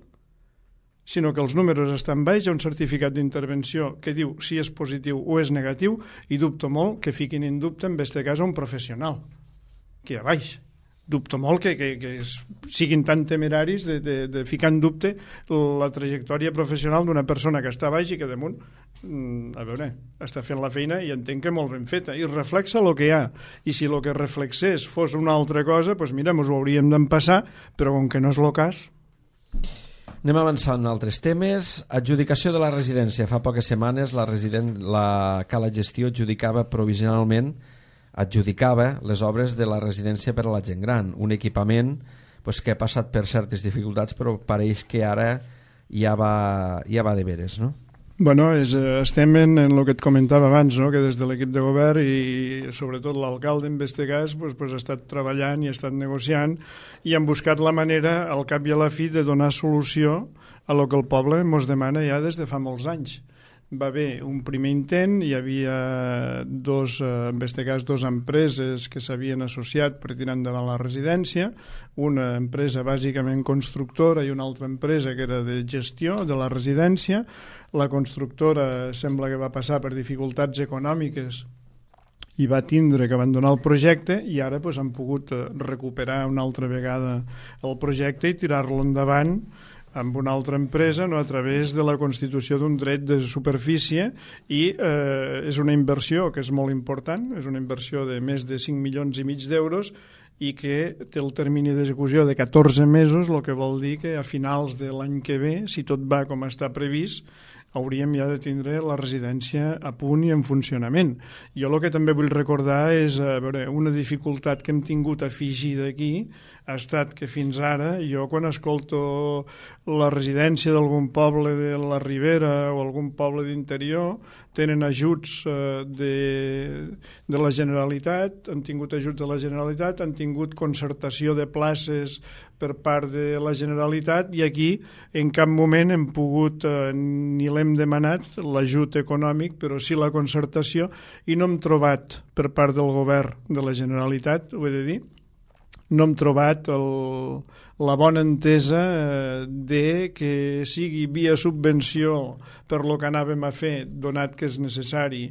sinó que els números estan baix, hi ha un certificat d'intervenció que diu si és positiu o és negatiu, i dubto molt que fiquin en dubte, en aquest cas, un professional que a baix. Dubto molt que, que, que siguin tan temeraris de, de, de ficar en dubte la trajectòria professional d'una persona que està a baix i que damunt, a veure, està fent la feina i entenc que molt ben feta, i reflexa el que hi ha. I si el que reflexés fos una altra cosa, doncs mira, ens ho hauríem d'empassar, però com que no és el cas... Anem avançant en altres temes. Adjudicació de la residència. Fa poques setmanes la, resident... la Cala Gestió adjudicava provisionalment adjudicava les obres de la residència per a la gent gran, un equipament pues, que ha passat per certes dificultats, però pareix que ara ja va, ja va de veres, no? Bueno, és, estem en, en el que et comentava abans, no? Que des de l'equip de govern i sobretot l'alcalde en aquest cas pues, pues, ha estat treballant i ha estat negociant i han buscat la manera, al cap i a la fi, de donar solució a lo que el poble ens demana ja des de fa molts anys. Va haver un primer intent, hi havia dos, en aquest cas, dues empreses que s'havien associat per tirar endavant la residència, una empresa bàsicament constructora i una altra empresa que era de gestió de la residència. La constructora sembla que va passar per dificultats econòmiques i va tindre que abandonar el projecte i ara pues, han pogut recuperar una altra vegada el projecte i tirar-lo endavant amb una altra empresa, no, a través de la constitució d'un dret de superfície i eh, és una inversió que és molt important, és una inversió de més de cinc milions i mig d'euros i que té el termini d'execució de catorze mesos, el que vol dir que a finals de l'any que ve, si tot va com està previst, hauríem ja de tindre la residència a punt i en funcionament. Jo el que també vull recordar és a veure, una dificultat que hem tingut afegida aquí ha estat que fins ara jo quan escolto la residència d'algun poble de la Ribera o algun poble d'interior tenen ajuts eh, de, de la Generalitat, han tingut ajuts de la Generalitat, han tingut concertació de places per part de la Generalitat i aquí en cap moment hem pogut eh, ni l'hem demanat l'ajut econòmic, però sí la concertació i no hem trobat per part del govern de la Generalitat, ho he de dir, no hem trobat el, la bona entesa eh, de que sigui via subvenció per lo que anàvem a fer, donat que és necessari,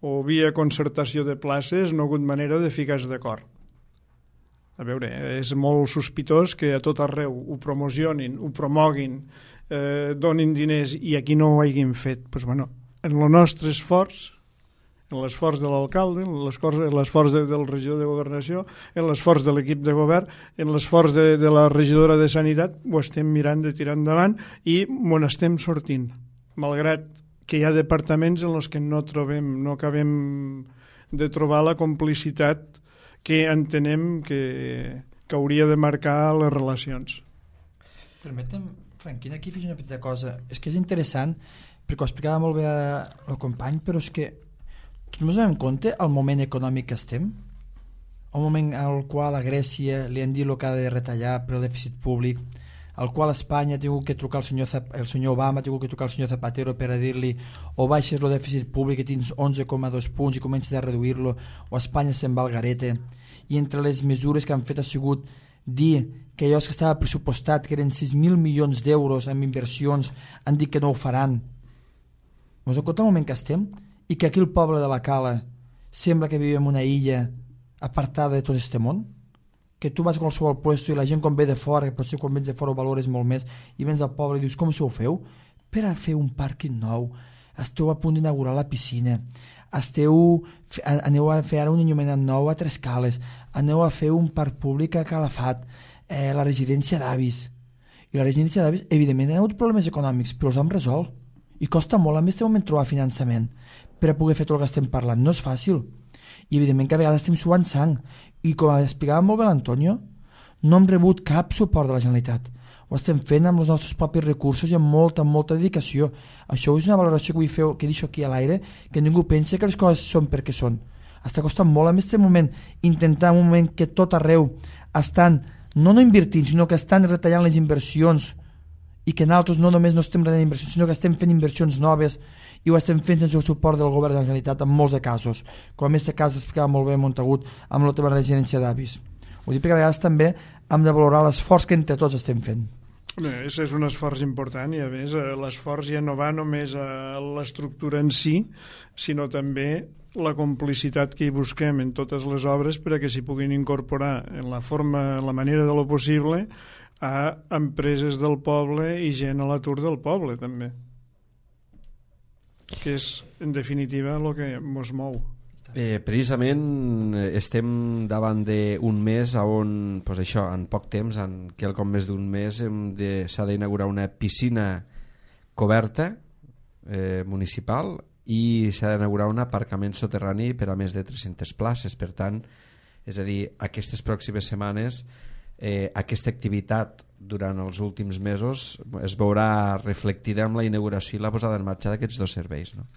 o via concertació de places, no ha hagut manera de ficar-se d'acord. A veure, és molt sospitós que a tot arreu ho promocionin, ho promoguin, eh, donin diners i aquí no ho hagin fet. Pues, bueno, en el nostre esforç, en l'esforç de l'alcalde, en l'esforç de, del regidor de governació, en l'esforç de l'equip de govern, en l'esforç de, de la regidora de sanitat, ho estem mirant de tirar endavant i m'ho estem sortint, malgrat que hi ha departaments en els que no trobem, no acabem de trobar la complicitat que entenem que, que hauria de marcar les relacions. Permetem, Franquina, aquí fes una petita cosa. És que és interessant, perquè ho explicava molt bé el company, però és que tots ens donem compte el moment econòmic que estem, el moment al qual a Grècia li han dit el que ha de retallar per el dèficit públic, al qual Espanya ha tingut que trucar el senyor, Zap- el senyor Obama ha tingut que trucar el senyor Zapatero per a dir-li o baixes el dèficit públic que tens onze coma dos punts i comences a reduir-lo, o Espanya se'n va al garete. I entre les mesures que han fet ha sigut dir que allò que estava pressupostat, que eren sis mil milions d'euros en inversions, han dit que no ho faran. Ens en compte el moment que estem? I que aquí el poble de la Cala sembla que vivim en una illa apartada de tot este món, que tu vas a qualsevol puesto i la gent quan ve de fora, que potser quan vens de fora ho valores molt més, i vens al poble i dius, com això ho feu? Per a fer un pàrquing nou, esteu a punt d'inaugurar la piscina, esteu, aneu a fer ara un enllumenat nou a Tres Cales, aneu a fer un parc públic a Calafat, eh, la residència d'avis. I la residència d'avis, evidentment, hi ha hagut problemes econòmics, però els hem resolt. I costa molt en aquest moment trobar finançament per a poder fer tot el que estem parlant. No és fàcil. I evidentment que a vegades estem suant sang. I com explicava molt bé l'Antonio, no hem rebut cap suport de la Generalitat. Ho estem fent amb els nostres propis recursos i amb molta, molta dedicació. Això és una valoració que vull fer, que deixo aquí a l'aire, que ningú pensi que les coses són perquè són. està costant molt en aquest moment intentar un moment que tot arreu estan no no invertint, sinó que estan retallant les inversions i que nosaltres no només no estem retallant inversions, sinó que estem fent inversions noves i ho estem fent sense el suport del govern de la Generalitat en molts de casos, com en aquest cas explicava molt bé Montagut amb la teva residència d'avis. Ho dic perquè a vegades també hem de valorar l'esforç que entre tots estem fent. Bé, és, és un esforç important i a més l'esforç ja no va només a l'estructura en si, sinó també la complicitat que hi busquem en totes les obres perquè s'hi puguin incorporar en la forma, en la manera de lo possible a empreses del poble i gent a l'atur del poble també, que és en definitiva el que ens mou. Eh, precisament estem davant d'un mes on, pues això, en poc temps, en quelcom més d'un mes, de, s'ha d'inaugurar una piscina coberta eh, municipal i s'ha d'inaugurar un aparcament soterrani per a més de tres-centes places. Per tant, és a dir, aquestes pròximes setmanes eh, aquesta activitat durant els últims mesos es veurà reflectida amb la inauguració i la posada en marxa d'aquests dos serveis, no?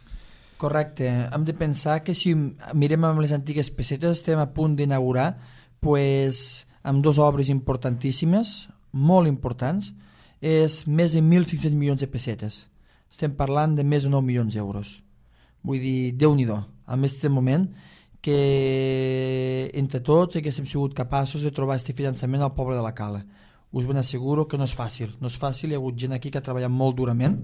Correcte, hem de pensar que si mirem amb les antigues pessetes estem a punt d'inaugurar pues, amb dues obres importantíssimes, molt importants, és més de mil cinc-cents milions de pessetes. Estem parlant de més de nou milions d'euros. Vull dir, Déu-n'hi-do, en aquest moment que entre tots que hem sigut capaços de trobar aquest finançament al poble de la Cala. Us ben asseguro que no és fàcil, no és fàcil, hi ha hagut gent aquí que ha treballat molt durament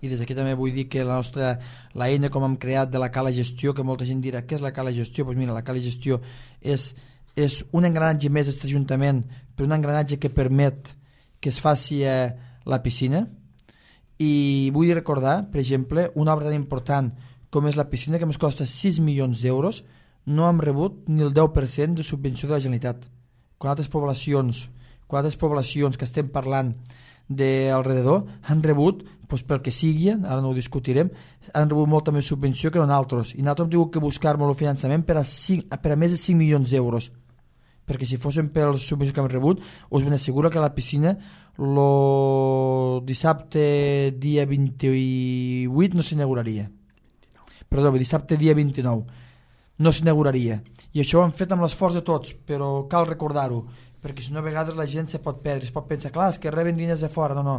i des d'aquí també vull dir que la nostra l'eina com hem creat de la Cala Gestió, que molta gent dirà què és la Cala Gestió, doncs mira, la Cala Gestió és, és un engranatge més d'aquest Ajuntament, però un engranatge que permet que es faci eh, la piscina. I vull recordar, per exemple, una obra tan important com és la piscina, que ens costa sis milions d'euros, no hem rebut ni el deu per cent de subvenció de la Generalitat, quan altres poblacions quan altres poblacions que estem parlant d'alrededor han rebut, doncs pel que sigui, ara no ho discutirem, han rebut molta més subvenció que nosaltres, i nosaltres hem tingut que buscar-nos el finançament per a, cinc, per a més de cinc milions d'euros, perquè si fossin per les subvencions que hem rebut, us ben asseguro que la piscina el dissabte dia vint-i-vuit no s'inauguraria, perdó, dissabte dia vint-i-nou no s'inauguraria, i això ho hem fet amb l'esforç de tots, però cal recordar-ho, perquè si no a vegades la gent se pot perdre, es pot pensar, clar, és que reben diners de fora, no, no,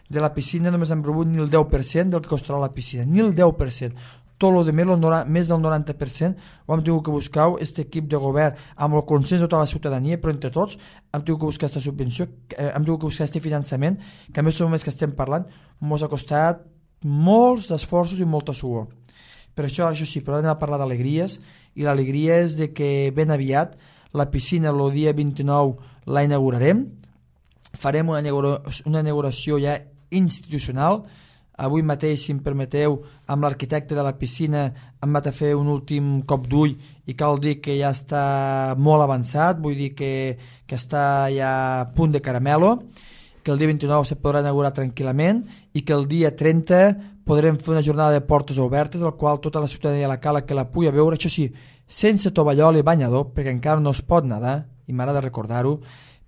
de la piscina només hem rebut ni el deu per cent del que costarà la piscina, ni el deu per cent, tot el de més, més del noranta per cent ho hem tingut que buscar, aquest equip de govern amb el consens de tota la ciutadania, però entre tots hem tingut que buscar aquesta subvenció, hem tingut que buscar aquest finançament, que a més som més que estem parlant, ens ha costat molts esforços i molta suor. Per això, això sí, però anem a parlar d'alegries, i l'alegria és de que ben aviat la piscina el dia vint-i-nou la inaugurarem, farem una, una inauguració ja institucional. Avui mateix, si em permeteu, amb l'arquitecte de la piscina hem anat a fer un últim cop d'ull i cal dir que ja està molt avançat, vull dir que, que està ja a punt de caramelo, que el dia vint-i-nou se podrà inaugurar tranquil·lament i que el dia trenta podrem fer una jornada de portes obertes, al qual tota la ciutadania de la Cala que la pugui veure, això sí, sense tovallol i banyador, perquè encara no es pot nedar, i m'agrada recordar-ho,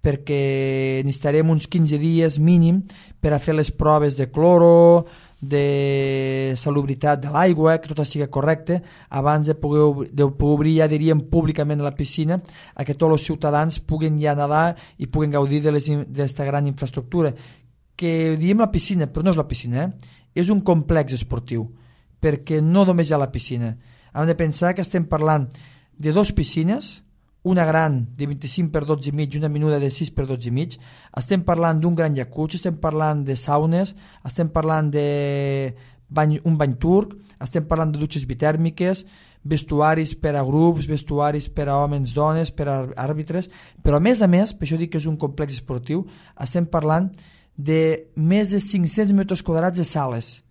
perquè necessitarem uns quinze dies mínim per a fer les proves de cloro, de salubritat de l'aigua, que tot sigui correcte, abans de poder, de poder obrir, ja diríem, públicament la piscina, a que tots els ciutadans puguin ja nedar i puguin gaudir d'aquesta gran infraestructura. Que diem la piscina, però no és la piscina, eh? És un complex esportiu, perquè no només hi ha la piscina. Hem de pensar que estem parlant de dues piscines, una gran de vint-i-cinc per dotze i mig i una menuda de sis per dotze i mig, estem parlant d'un gran jacuzzi, estem parlant de saunes, estem parlant de bany, un bany turc, estem parlant de dutxes bitèrmiques, vestuaris per a grups, vestuaris per a homes, dones, per a àrbitres, però a més a més, per això dic que és un complex esportiu, estem parlant de més de cinc-cents metres quadrats de sales,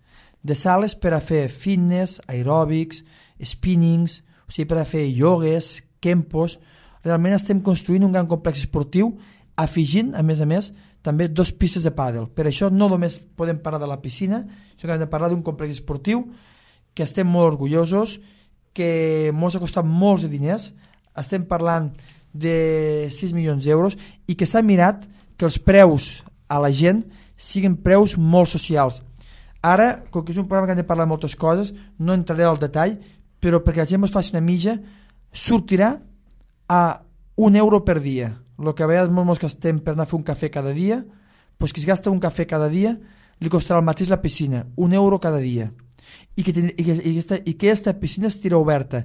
de sales per a fer fitness, aeròbics, spinnings, o sigui, per a fer iogues, kempos. Realment estem construint un gran complex esportiu, afegint, a més a més, també dos pistes de pàdel. Per això no només podem parlar de la piscina, sinó que hem de parlar d'un complex esportiu que estem molt orgullosos, que ens ha costat molts de diners, estem parlant de sis milions d'euros, i que s'ha mirat que els preus a la gent siguin preus molt socials. Ara, com que és un programa que hem de parlar de moltes coses, no entraré al detall, però perquè la gent ens faci una mitja, sortirà a un euro per dia. El que a vegades molts gastem per anar a fer un cafè cada dia, doncs qui es gasta un cafè cada dia li costarà el mateix la piscina, un euro cada dia. I que, i que, i aquesta, i que aquesta piscina estirà oberta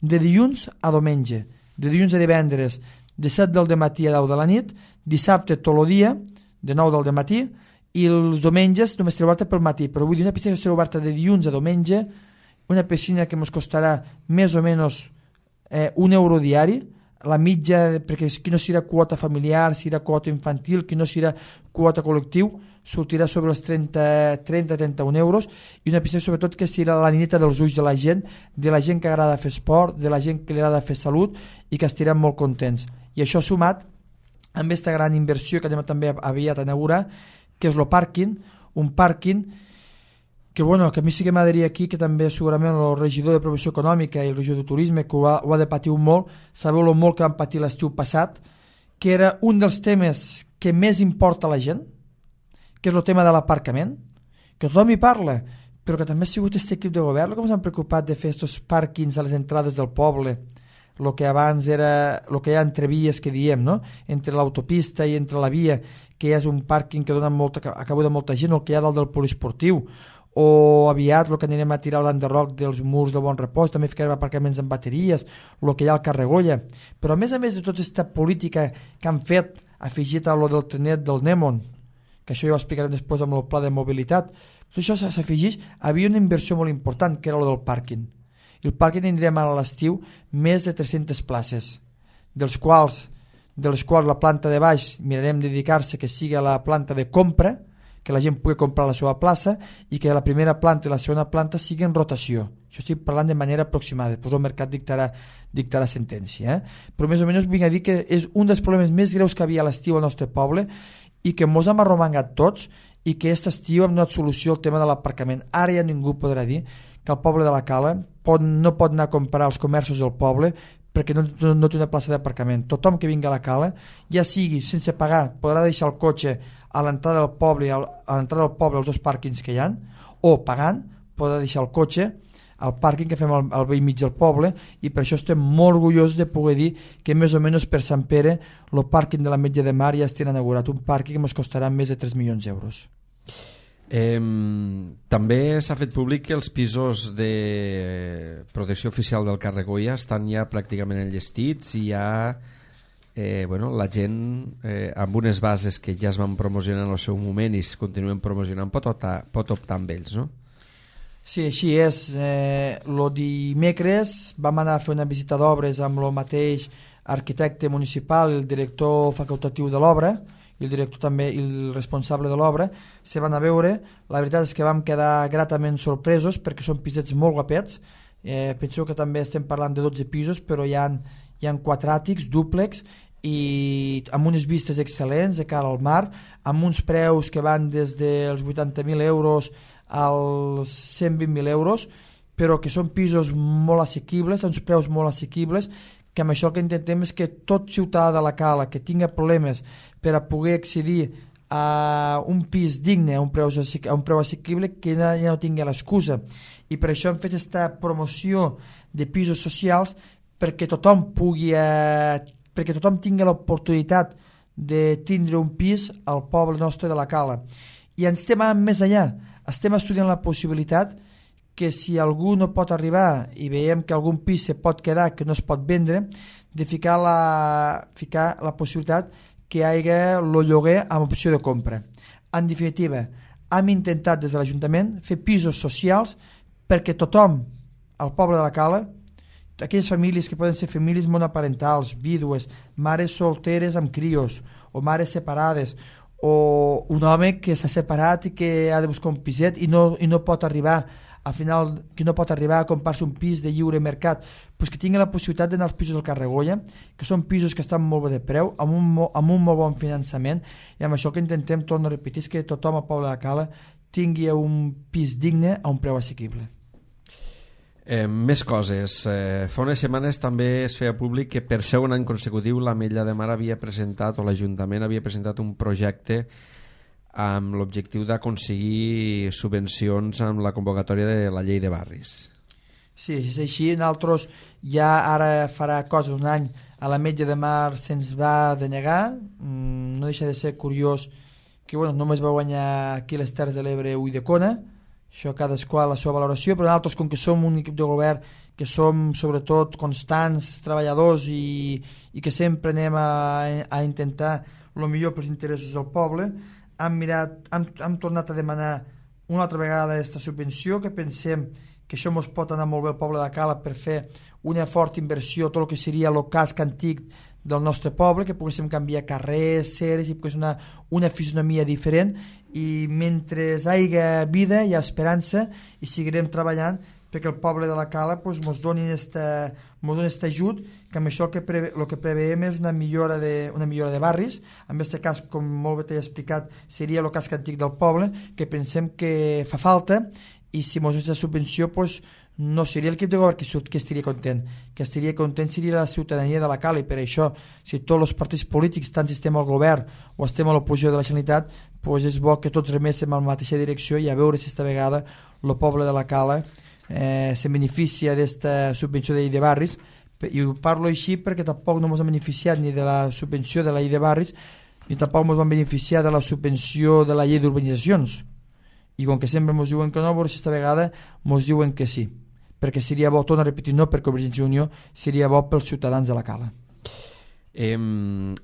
de dilluns a diumenge, de dilluns a divendres, de set del matí a deu de la nit, dissabte tot el dia, de nou del matí, i els diumenges només estarà oberta pel matí. Però vull dir, una piscina que estarà oberta de dilluns a diumenge, una piscina que ens costarà més o menys eh, un euro diari, la mitja, perquè qui no serà quota familiar, serà quota infantil, qui no serà quota col·lectiu, sortirà sobre els trenta a trenta-un euros, i una piscina sobretot que serà la nineta dels ulls de la gent, de la gent que agrada fer esport, de la gent que li agrada fer salut i que estirem molt contents. I això sumat amb aquesta gran inversió que anem també aviat a inaugurar, que és el pàrquing, un pàrquing que, bueno, que a mi sí que m'agradaria aquí, que també segurament el regidor de Promoció Econòmica i el regidor de Turisme, que ho ha, ho ha de patir molt, sabeu el molt que van patir l'estiu passat, que era un dels temes que més importa a la gent, que és el tema de l'aparcament, que tothom hi parla, però que també ha sigut aquest equip de govern que ens han preocupat de fer aquests pàrquings a les entrades del poble, el que abans era, el que hi ha entre vies que diem, no? Entre l'autopista i entre la via, que és un pàrquing que dona molta, acabo de molta gent, el que hi ha dalt del poliesportiu, o aviat el que anirem a tirar l'enderroc dels murs de Bon Repòs, també ficarem aparcaments amb bateries, el que hi ha al Carregolla. Però a més a més de tota aquesta política que han fet, afegit a lo del trenet del Nèmon, que això ja ho explicarem després amb el pla de mobilitat, tot això s'afegeix, havia una inversió molt important, que era lo del pàrquing. El pàrquing tindrem a l'estiu més de tres-centes places, dels quals, de les quals la planta de baix mirarem de dedicar-se que sigui a la planta de compra, que la gent pugui comprar la seva plaça, i que la primera planta i la segona planta siguin en rotació. Això estic parlant de manera aproximada, després el mercat dictarà, dictarà sentència. Eh? Però més o menys vinc a dir que és un dels problemes més greus que havia a l'estiu al nostre poble i que mos hem arromangat tots i que aquest estiu hem donat solució al tema de l'aparcament. Ara ja ningú podrà dir que el poble de la Cala pot, no pot anar a comprar als comerços del poble perquè no, no, no té una plaça d'aparcament. Tothom que vingui a la Cala, ja sigui sense pagar, podrà deixar el cotxe a l'entrada del poble, a l'entrada del poble als dos pàrquings que hi ha, o pagant podrà deixar el cotxe al pàrquing que fem al, al vell mig del poble, i per això estem molt orgullosos de poder dir que més o menys per Sant Pere el pàrquing de la Metge de Mar ja estarà inaugurat, un pàrquing que ens costarà més de tres milions d'euros. Eh, també s'ha fet públic que els pisos de protecció oficial del Carregolla estan ja pràcticament enllestits i ja eh, bueno, la gent eh, amb unes bases que ja es van promocionar en el seu moment i es continuen promocionant pot optar, pot optar amb ells, no? Sí, així és. Eh, lo dimecres vam anar a fer una visita d'obres amb el mateix arquitecte municipal, el director facultatiu de l'obra, i el director també i el responsable de l'obra, se van a veure. La veritat és que vam quedar gratament sorpresos perquè són pisets molt guapets. Eh, penseu que també estem parlant de dotze pisos, però hi ha, hi ha quatre àtics, dúplex, i amb unes vistes excel·lents de cara al mar, amb uns preus que van des dels vuitanta mil euros als cent vint mil euros, però que són pisos molt assequibles, uns preus molt assequibles, que amb això el que intentem és que tot ciutadà de la Cala que tinga problemes per a poder accedir a un pis digne, a un preu, a un preu assequible, que ja no tingui l'excusa. I per això hem fet aquesta promoció de pisos socials perquè tothom pugui, eh, perquè tothom tingui l'oportunitat de tindre un pis al poble nostre de la Cala. I ens estem més allà, estem estudiant la possibilitat que si algú no pot arribar i veiem que algun pis se pot quedar, que no es pot vendre, de ficar la, ficar la possibilitat que hi hagi el lloguer amb opció de compra. En definitiva, hem intentat des de l'Ajuntament fer pisos socials perquè tothom al poble de la Cala, aquelles famílies que poden ser famílies monoparentals, vídues, mares solteres amb crios o mares separades, o un home que s'ha separat i que ha de buscar un piset i no, i no pot arribar al final, que no pot arribar a comprar-se un pis de lliure mercat, pues que tingui la possibilitat d'anar als pisos del Carregolla, que són pisos que estan molt bé de preu, amb un, amb un molt bon finançament, i amb això que intentem, torno a repetir, és que tothom al poble de Cala tingui un pis digne a un preu assequible. Eh, més coses. Eh, fa unes setmanes també es feia públic que per segon any consecutiu l'Ametlla de Mar havia presentat, o l'Ajuntament havia presentat un projecte amb l'objectiu d'aconseguir subvencions amb la convocatòria de la llei de barris. Sí, és així. Nosaltres ja ara farà cosa un any a l'Ametlla de Mar se'ns va denegar. Mm, no deixa de ser curiós que bueno, només va guanyar aquí les Terres de l'Ebre Ulldecona. Això cadascú a la seva valoració, però nosaltres, com que som un equip de govern que som sobretot constants, treballadors i, i que sempre anem a, a intentar el millor pels interessos del poble, hem, mirat, hem, hem tornat a demanar una altra vegada aquesta subvenció, que pensem que això ens pot anar molt bé al poble de Cala per fer una forta inversió, tot el que seria el casc antic del nostre poble, que poguéssim canviar carrers, ceres, i pogués una, una fisonomia diferent, i mentre hi hagi vida hi ha esperança i seguirem treballant perquè el poble de la Cala pues, mos donin este, mos donin este ajut, que amb això el que, preve, el que preveiem és una millora, de, una millora de barris. En aquest cas, com molt bé t'he explicat, seria el casc antic del poble, que pensem que fa falta, i si mos aquesta subvenció pues, no seria l'equip de govern que, que estaria content, que estaria content seria la ciutadania de la Cala, i per això, si tots els partits polítics, tant si estem al govern o estem a l'oposició de la Generalitat, pues és bo que tots reméssim en la mateixa direcció, i a veure si esta vegada el poble de la Cala eh, se beneficia d'esta subvenció de llei de barris. I ho parlo així perquè tampoc no ens hem beneficiat ni de la subvenció de la llei de barris, ni tampoc ens vam beneficiar de la subvenció de la llei d'urbanitzacions, i com que sempre ens diuen que no, però aquesta vegada ens diuen que sí, perquè seria bo, torno a repetir, no per Convergència i Unió, seria bo pels ciutadans de la Cala. Eh,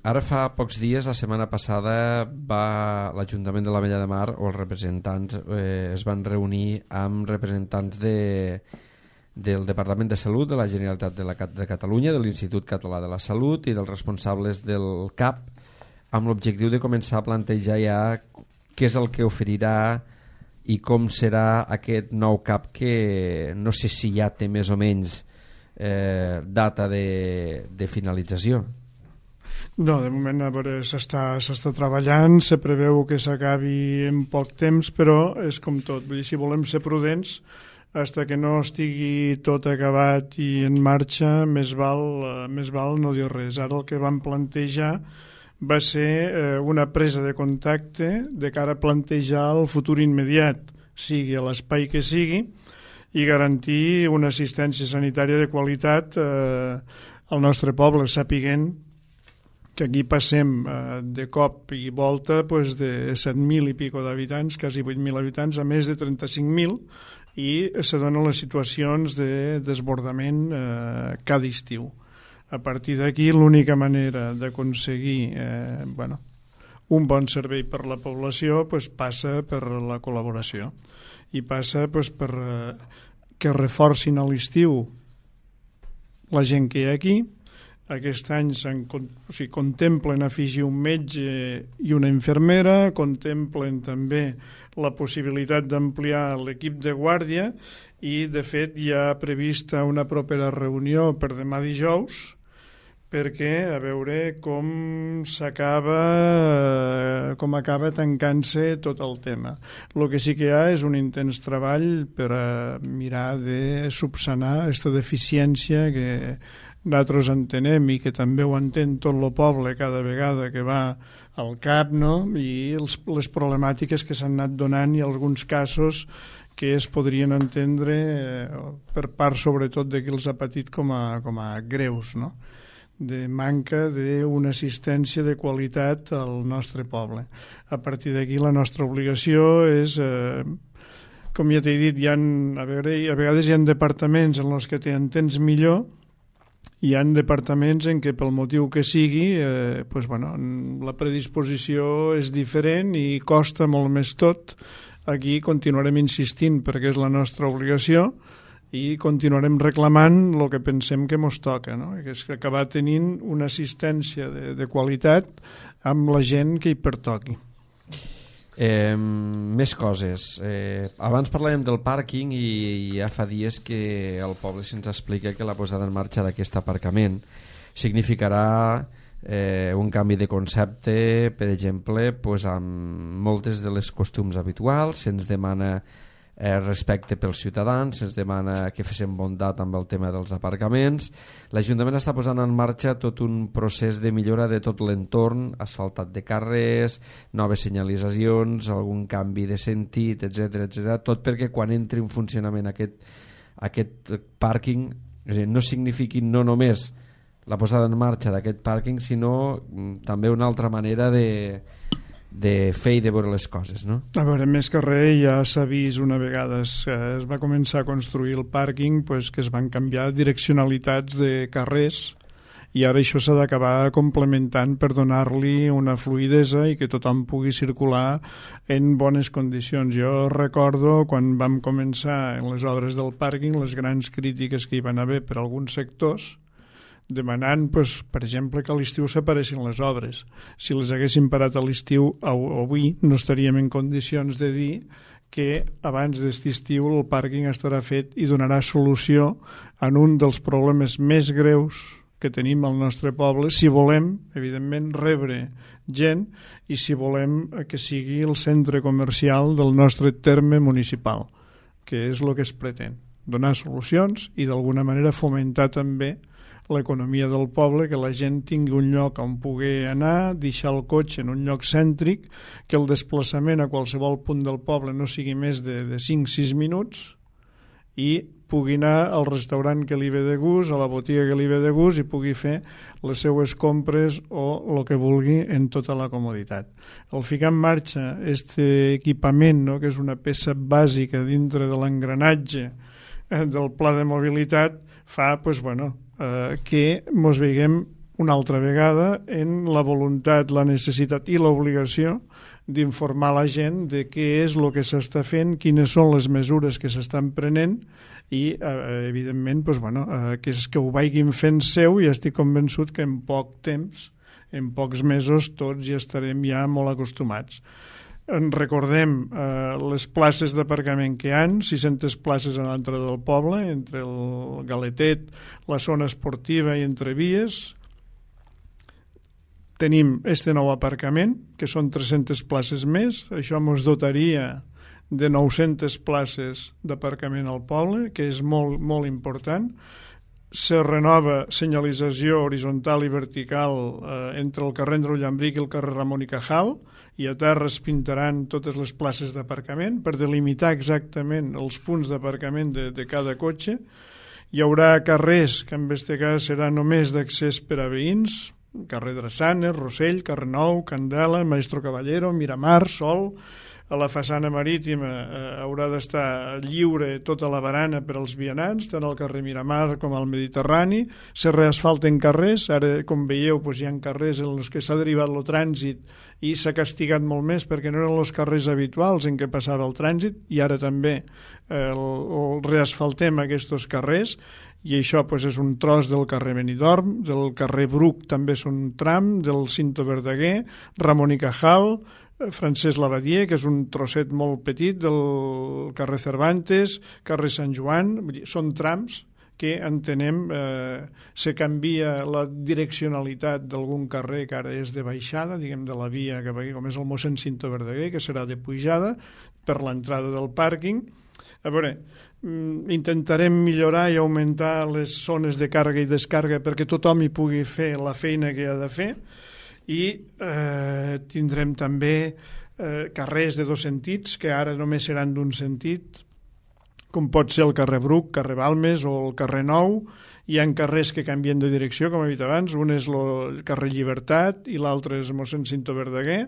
ara fa pocs dies, la setmana passada, va l'Ajuntament de l'Ametlla de Mar, o els representants eh, es van reunir amb representants de, del Departament de Salut de la Generalitat de, la, de Catalunya, de l'Institut Català de la Salut i dels responsables del C A P, amb l'objectiu de començar a plantejar ja què és el que oferirà i com serà aquest nou C A P, que no sé si ja té més o menys eh, data de, de finalització. No, de moment a veure, s'està s'està treballant, se preveu que s'acabi en poc temps, però és com tot, vull dir, si volem ser prudents, fins que no estigui tot acabat i en marxa, més val, eh, més val no dir res. Ara el que vam plantejar va ser eh, una presa de contacte de cara a plantejar el futur immediat, sigui a l'espai que sigui, i garantir una assistència sanitària de qualitat eh, al nostre poble, sapiguent que aquí passem eh, de cop i volta pues, de set mil i pico d'habitants, quasi vuit mil habitants, a més de trenta-cinc mil, i se donen les situacions de desbordament eh, cada estiu. A partir d'aquí, l'única manera d'aconseguir eh, bueno, un bon servei per la població pues, passa per la col·laboració, i passa pues, per eh, que reforcin a l'estiu la gent que hi ha aquí. Aquest any o sigui, contemplen afegir un metge i una infermera, contemplen també la possibilitat d'ampliar l'equip de guàrdia, i de fet hi ha prevista una propera reunió per demà dijous perquè a veure com s'acaba com acaba tancant-se tot el tema. El que sí que hi ha és un intens treball per a mirar de subsanar aquesta deficiència que nosaltres entenem i que també ho entén tot el poble cada vegada que va al C A P, no? I els, les problemàtiques que s'han anat donant i alguns casos que es podrien entendre eh, per part sobretot de qui els ha patit com a, com a greus, no? De manca d'una assistència de qualitat al nostre poble. A partir d'aquí la nostra obligació és, eh, com ja t'he dit, hi ha, a, veure, a vegades hi ha departaments en els que t'entens millor, hi ha departaments en què pel motiu que sigui eh, pues, bueno, la predisposició és diferent i costa molt més tot. Aquí continuarem insistint perquè és la nostra obligació i continuarem reclamant el que pensem que mos toca, no? Que és acabar tenint una assistència de, de qualitat amb la gent que hi pertoqui. Eh, més coses. Eh, abans parlàvem del pàrquing i, i ja fa dies que el poble se'ns explica que la posada en marxa d'aquest aparcament significarà eh, un canvi de concepte, per exemple, pues, amb moltes de les costums habituals. Se'ns demana eh, respecte pels ciutadans, se'ns demana que féssim bondat amb el tema dels aparcaments. L'Ajuntament està posant en marxa tot un procés de millora de tot l'entorn, asfaltat de carrers, noves senyalitzacions, algun canvi de sentit, etcètera, etcètera, tot perquè quan entri en funcionament aquest aquest pàrquing no signifiqui no només la posada en marxa d'aquest pàrquing, sinó també una altra manera de, de fer i de veure les coses, no? A veure, més que res ja s'ha vist una vegada es, es va començar a construir el pàrquing, pues, que es van canviar direccionalitats de carrers i ara això s'ha d'acabar complementant per donar-li una fluïdesa i que tothom pugui circular en bones condicions. Jo recordo quan vam començar en les obres del pàrquing les grans crítiques que hi van haver per alguns sectors demanant, pues, per exemple, que a l'estiu s'aparessin les obres. Si les haguessin parat a l'estiu, avui no estaríem en condicions de dir que abans d'aquest estiu el pàrquing estarà fet i donarà solució en un dels problemes més greus que tenim al nostre poble, si volem, evidentment, rebre gent i si volem que sigui el centre comercial del nostre terme municipal, que és el que es pretén, donar solucions i d'alguna manera fomentar també l'economia del poble, que la gent tingui un lloc on pugui anar, deixar el cotxe en un lloc cèntric, que el desplaçament a qualsevol punt del poble no sigui més de, de cinc a sis minuts i pugui anar al restaurant que li ve de gust, a la botiga que li ve de gust i pugui fer les seues compres o el que vulgui en tota la comoditat. Al ficar en marxa aquest equipament, no, que és una peça bàsica dintre de l'engranatge eh, del pla de mobilitat, fa pues, bueno, eh, que ens veiem una altra vegada en la voluntat, la necessitat i l'obligació d'informar la gent de què és el que s'està fent, quines són les mesures que s'estan prenent i, eh, evidentment, pues, bueno, eh, que, és que ho vagin fent seu i estic convençut que en poc temps, en pocs mesos, tots ja estarem ja molt acostumats. En recordem eh, les places d'aparcament que hi ha, sis centes places a l'entrada del poble, entre el Galetet, la zona esportiva i entre vies. Tenim este nou aparcament, que són tres-centes places més, això ens dotaria de nou-centes places d'aparcament al poble, que és molt, molt important. Se renova senyalització horitzontal i vertical eh, entre el carrer Andreu Llambric i el carrer Ramon i Cajal, i a terra es pintaran totes les places d'aparcament per delimitar exactament els punts d'aparcament de, de cada cotxe. Hi haurà carrers que en aquest cas serà només d'accés per a veïns, carrer Drassanes, Rossell, carrer Nou, Candela, Maestro Caballero, Miramar, Sol. A la façana marítima eh, haurà d'estar lliure tota la barana per als vianants, tant al carrer Miramar com al Mediterrani. Se reasfalten carrers, ara com veieu doncs, hi ha carrers en els que s'ha derivat el trànsit i s'ha castigat molt més perquè no eren els carrers habituals en què passava el trànsit i ara també eh, el, el reasfaltem aquests carrers i això doncs, és un tros del carrer Benidorm, del carrer Bruc també és un tram, del Cinto Verdaguer, Ramon i Cajal, Francesc Lavadier, que és un trosset molt petit del carrer Cervantes, carrer Sant Joan, vull dir, són trams que entenem eh, se canvia la direccionalitat d'algun carrer que ara és de baixada, diguem de la via cap aquí, com és el mossèn Cinto Verdaguer, que serà de pujada per l'entrada del pàrquing. A veure, intentarem millorar i augmentar les zones de càrrega i descàrrega perquè tothom hi pugui fer la feina que ha de fer i eh, tindrem també eh, carrers de dos sentits que ara només seran d'un sentit, com pot ser el carrer Bruc, carrer Balmes o el carrer Nou. Hi ha carrers que canvien de direcció, com he dit abans, un és el carrer Llibertat i l'altre és mossèn Cinto Verdaguer.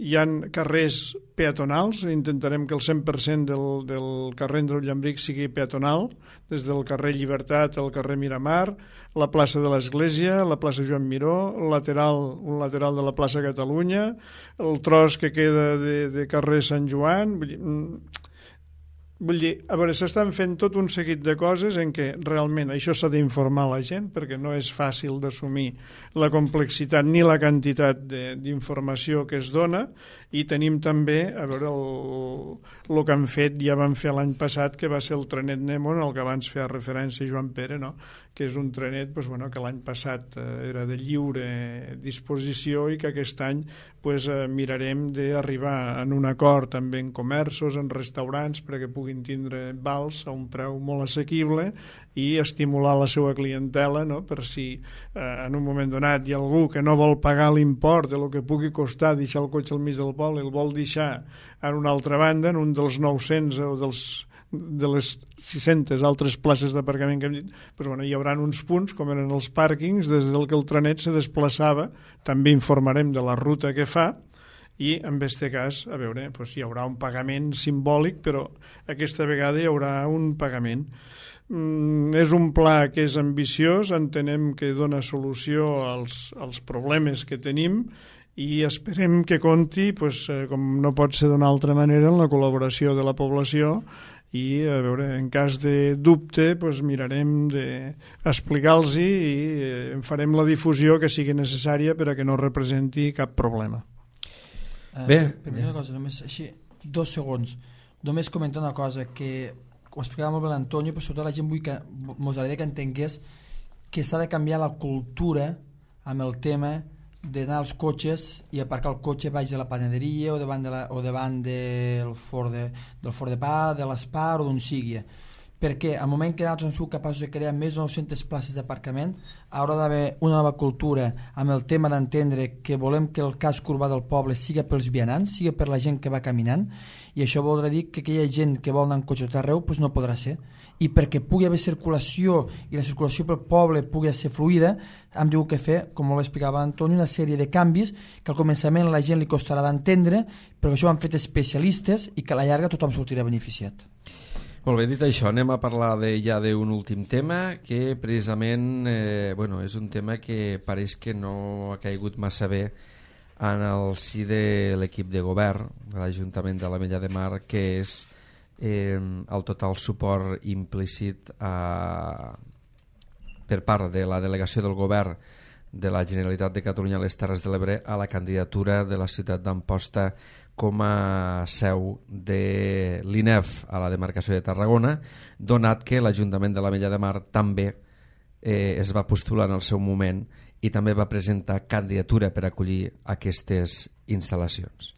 Hi ha carrers peatonals, intentarem que el cent per cent del, del carrer Andreu Llambric sigui peatonal, des del carrer Llibertat al carrer Miramar, la plaça de l'Església, la plaça Joan Miró, el lateral, un lateral de la plaça Catalunya, el tros que queda de, de carrer Sant Joan. Vull dir, Vull dir, a veure, s'estan fent tot un seguit de coses en què realment això s'ha d'informar a la gent perquè no és fàcil d'assumir la complexitat ni la quantitat d'informació que es dona i tenim també, a veure, el, el que han fet, ja van fer l'any passat, que va ser el trenet Nemo, en el que abans feia referència Joan Pere, no? Que és un trenet pues, bueno, que l'any passat eh, era de lliure disposició i que aquest any pues, eh, mirarem d'arribar en un acord també en comerços, en restaurants, perquè puguin tindre vals a un preu molt assequible i estimular la seva clientela, no? Per si eh, en un moment donat hi ha algú que no vol pagar l'import de lo que pugui costar deixar el cotxe al mig del poble, el vol deixar en una altra banda, en un dels nou-cents o dels de les sis-centes altres places d'aparcament que hem dit, doncs, bueno, hi haurà uns punts, com eren els pàrquings, des del que el trenet se desplaçava, també informarem de la ruta que fa, i en aquest cas, a veure, doncs hi haurà un pagament simbòlic, però aquesta vegada hi haurà un pagament. Mm, és un pla que és ambiciós, entenem que dona solució als, als problemes que tenim, i esperem que compti, pues, com no pot ser d'una altra manera, en la col·laboració de la població, i a veure, en cas de dubte pues, mirarem d'explicar-los i en farem la difusió que sigui necessària per a que no representi cap problema. Uh, Bé, primera cosa, només així, dos segons, només comentar una cosa que ho explicava molt bé l'Antonio, però sobretot la gent vull que mos agradaria que entengués que s'ha de canviar la cultura amb el tema d'anar als cotxes i aparcar el cotxe baix de la panaderia o davant, de la, o davant del forn de, del forn de pa, de l'Espar o d'on sigui, perquè al moment que nosaltres hem sigut capaços de crear més de nou-centes places d'aparcament haurà d'haver una nova cultura amb el tema d'entendre que volem que el casc urbà del poble siga pels vianants, siga per la gent que va caminant, i això voldrà dir que aquella gent que vol anar en cotxe tot arreu pues no podrà ser, i perquè pugui haver circulació i la circulació pel poble pugui ser fluida, hem tingut que fer, com ho explicava Antoni, una sèrie de canvis que al començament a la gent li costarà d'entendre, però això ho han fet especialistes i que a la llarga tothom sortirà beneficiat. Molt bé, dit això, anem a parlar de, ja d'un últim tema que precisament eh, bueno, és un tema que pareix que no ha caigut massa bé en el si de l'equip de govern de l'Ajuntament de l'Ametlla de Mar, que és eh, el total suport implícit a, per part de la delegació del govern de la Generalitat de Catalunya a les Terres de l'Ebre a la candidatura de la ciutat d'Amposta com a seu de l'I N E F a la demarcació de Tarragona, donat que l'Ajuntament de l'Ametlla de Mar també eh, es va postular en el seu moment i també va presentar candidatura per acollir aquestes instal·lacions.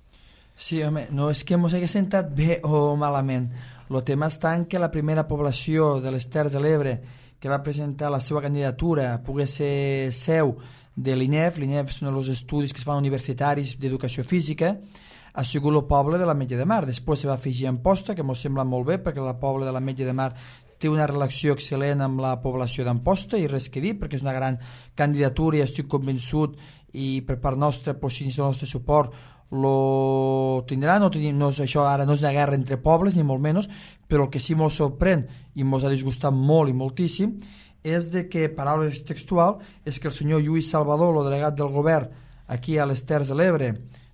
Sí, home, no és que ens hagi sentat bé o malament. El tema està en que la primera població de les Terres de l'Ebre que va presentar la seva candidatura pogués ser seu de l'I N E F, l'I N E F són els estudis que es fan universitaris d'educació física, ha sigut el poble de l'Ametlla de Mar. Després se va afegir Amposta, que ens sembla molt bé, perquè el poble de l'Ametlla de Mar té una relació excel·lent amb la població d'Amposta, i res que dir, perquè és una gran candidatura i estic convençut, i per part nostra, pues, si el nostre suport lo tindrà, no tenim, no és, això ara no és una guerra entre pobles, ni molt menys, però el que sí ens sorprèn i ens ha disgustat molt i moltíssim és de que, paraula textual, és que el senyor Lluís Salvador, el delegat del govern aquí a les Terres de l'Ebre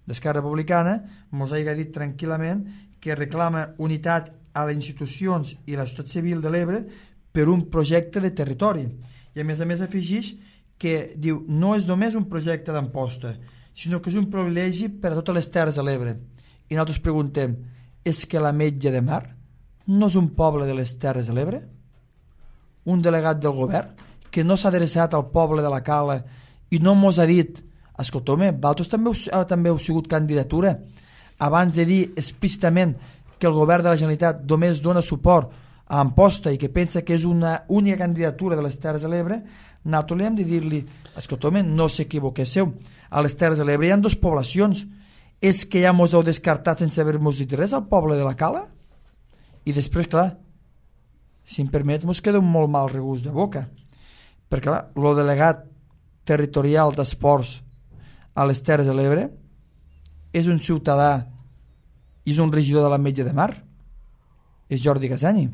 d'Esquerra Republicana, ens ha dit tranquil·lament que reclama unitat a les institucions i a la societat civil de l'Ebre per un projecte de territori. I a més a més afegeix que diu no és només un projecte d'Amposta, sinó que és un privilegi per a totes les Terres de l'Ebre. I nosaltres preguntem, és que l'Ametlla de Mar no és un poble de les Terres de l'Ebre? Un delegat del govern que no s'ha adreçat al poble de la Cala i no mos ha dit, escolta, home, vosaltres també heu, també heu sigut candidatura, abans de dir explícitament que el govern de la Generalitat només dona suport a Amposta i que pensa que és una única candidatura de les Terres de l'Ebre, nosaltres hem de dir-li, escolta, home, no s'equivoquéssiu, a les Terres de l'Ebre hi ha dues poblacions, és que ja mos heu descartat sense haver-nos dit res al poble de la Cala? I després, clar, si em permet, mos queda un molt mal regust de boca, perquè clar, el delegat territorial d'esports a les Terres de l'Ebre és un ciutadà i és un regidor de l'Ametlla de Mar, és Jordi Gazzani.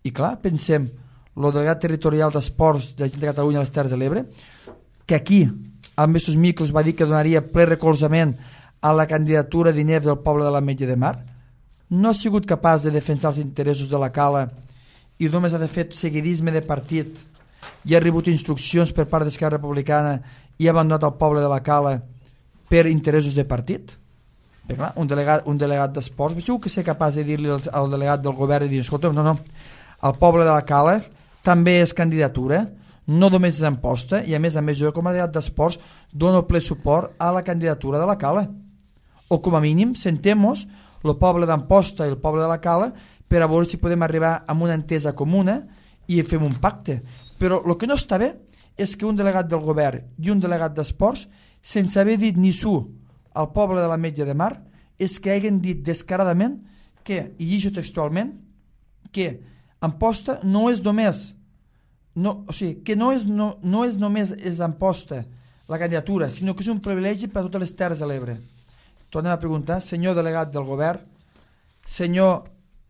I clar, pensem, el delegat territorial d'esports de la gent de Catalunya a les Terres de l'Ebre, que aquí, amb aquests micros, va dir que donaria ple recolzament a la candidatura d'I N E F del poble de l'Ametlla de Mar, no ha sigut capaç de defensar els interessos de la Cala i només ha de fer seguidisme de partit i ha rebut instruccions per part d'Esquerra Republicana i ha abandonat el poble de la Cala per interessos de partit? Perquè, clar, un delegat, un delegat d'esports, segur que ser capaç de dir-li al, al delegat del govern i dir, escolta, no, no, el poble de la Cala també és candidatura, no només és Amposta, i a més a més jo com a delegat d'esports dono ple suport a la candidatura de la Cala. O com a mínim sentem-nos el poble d'Amposta i el poble de la Cala per a veure si podem arribar a una entesa comuna i fem un pacte. Però el que no està bé és que un delegat del govern i un delegat d'esports, sense haver dit ni su al poble de l'Ametlla de Mar, és que hagin dit descaradament que, i llegeixo textualment, que Amposta no és només no, o sigui, que no és, no, no és només és Amposta la candidatura, sinó que és un privilegi per a totes les Terres de l'Ebre. Tornem a preguntar, senyor delegat del govern, senyor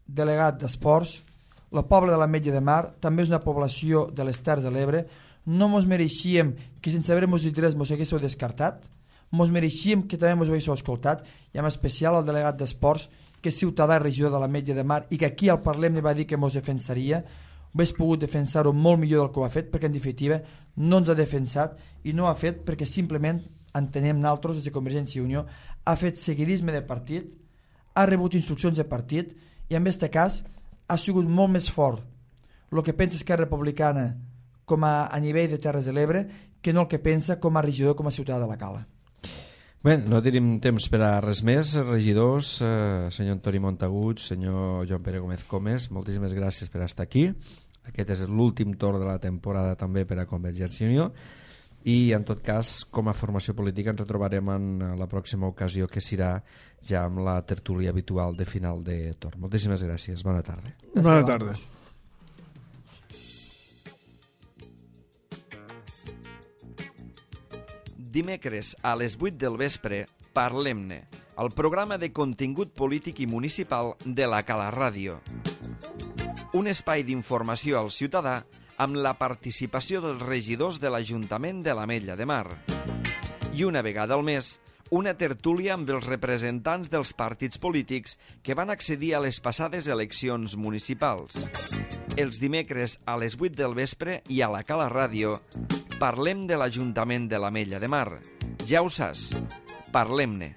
delegat d'Esports, el poble de l'Ametlla de Mar també és una població de les Terres de l'Ebre. No mos mereixíem que sense haver-mos dit res mos haguéssiu descartat, mos mereixíem que també mos haguéssiu escoltat, i en especial el delegat d'Esports, que és ciutadà i regidor de l'Ametlla de Mar i que aquí al Parlem li va dir que mos defensaria. Hauria pogut defensar-ho molt millor del que ho ha fet, perquè en definitiva no ens ha defensat, i no ho ha fet perquè simplement entenem nosaltres des de Convergència i Unió ha fet seguidisme de partit, ha rebut instruccions de partit, i en aquest cas ha sigut molt més fort el que pensa Esquerra Republicana com a, a nivell de Terres de l'Ebre que no el que pensa com a regidor, com a ciutadà de la Cala. Bé, no tenim temps per a res més. Regidors, eh, senyor Antoni Montagut, senyor Joan Pere Gómez Comes, moltíssimes gràcies per estar aquí. Aquest és l'últim torn de la temporada també per a Convergència i Unió, i en tot cas, com a formació política ens retrobarem en la pròxima ocasió, que serà ja amb la tertúlia habitual de final de torn. Moltíssimes gràcies, bona tarda. Bona tarda. Dimecres a les vuit del vespre, Parlem-ne, el programa de contingut polític i municipal de la Cala Ràdio. Un espai d'informació al ciutadà amb la participació dels regidors de l'Ajuntament de l'Ametlla de Mar. I una vegada al mes, una tertúlia amb els representants dels partits polítics que van accedir a les passades eleccions municipals. Els dimecres a les vuit del vespre i a la Cala Ràdio parlem de l'Ajuntament de l'Ametlla de Mar. Ja ho saps, parlem-ne.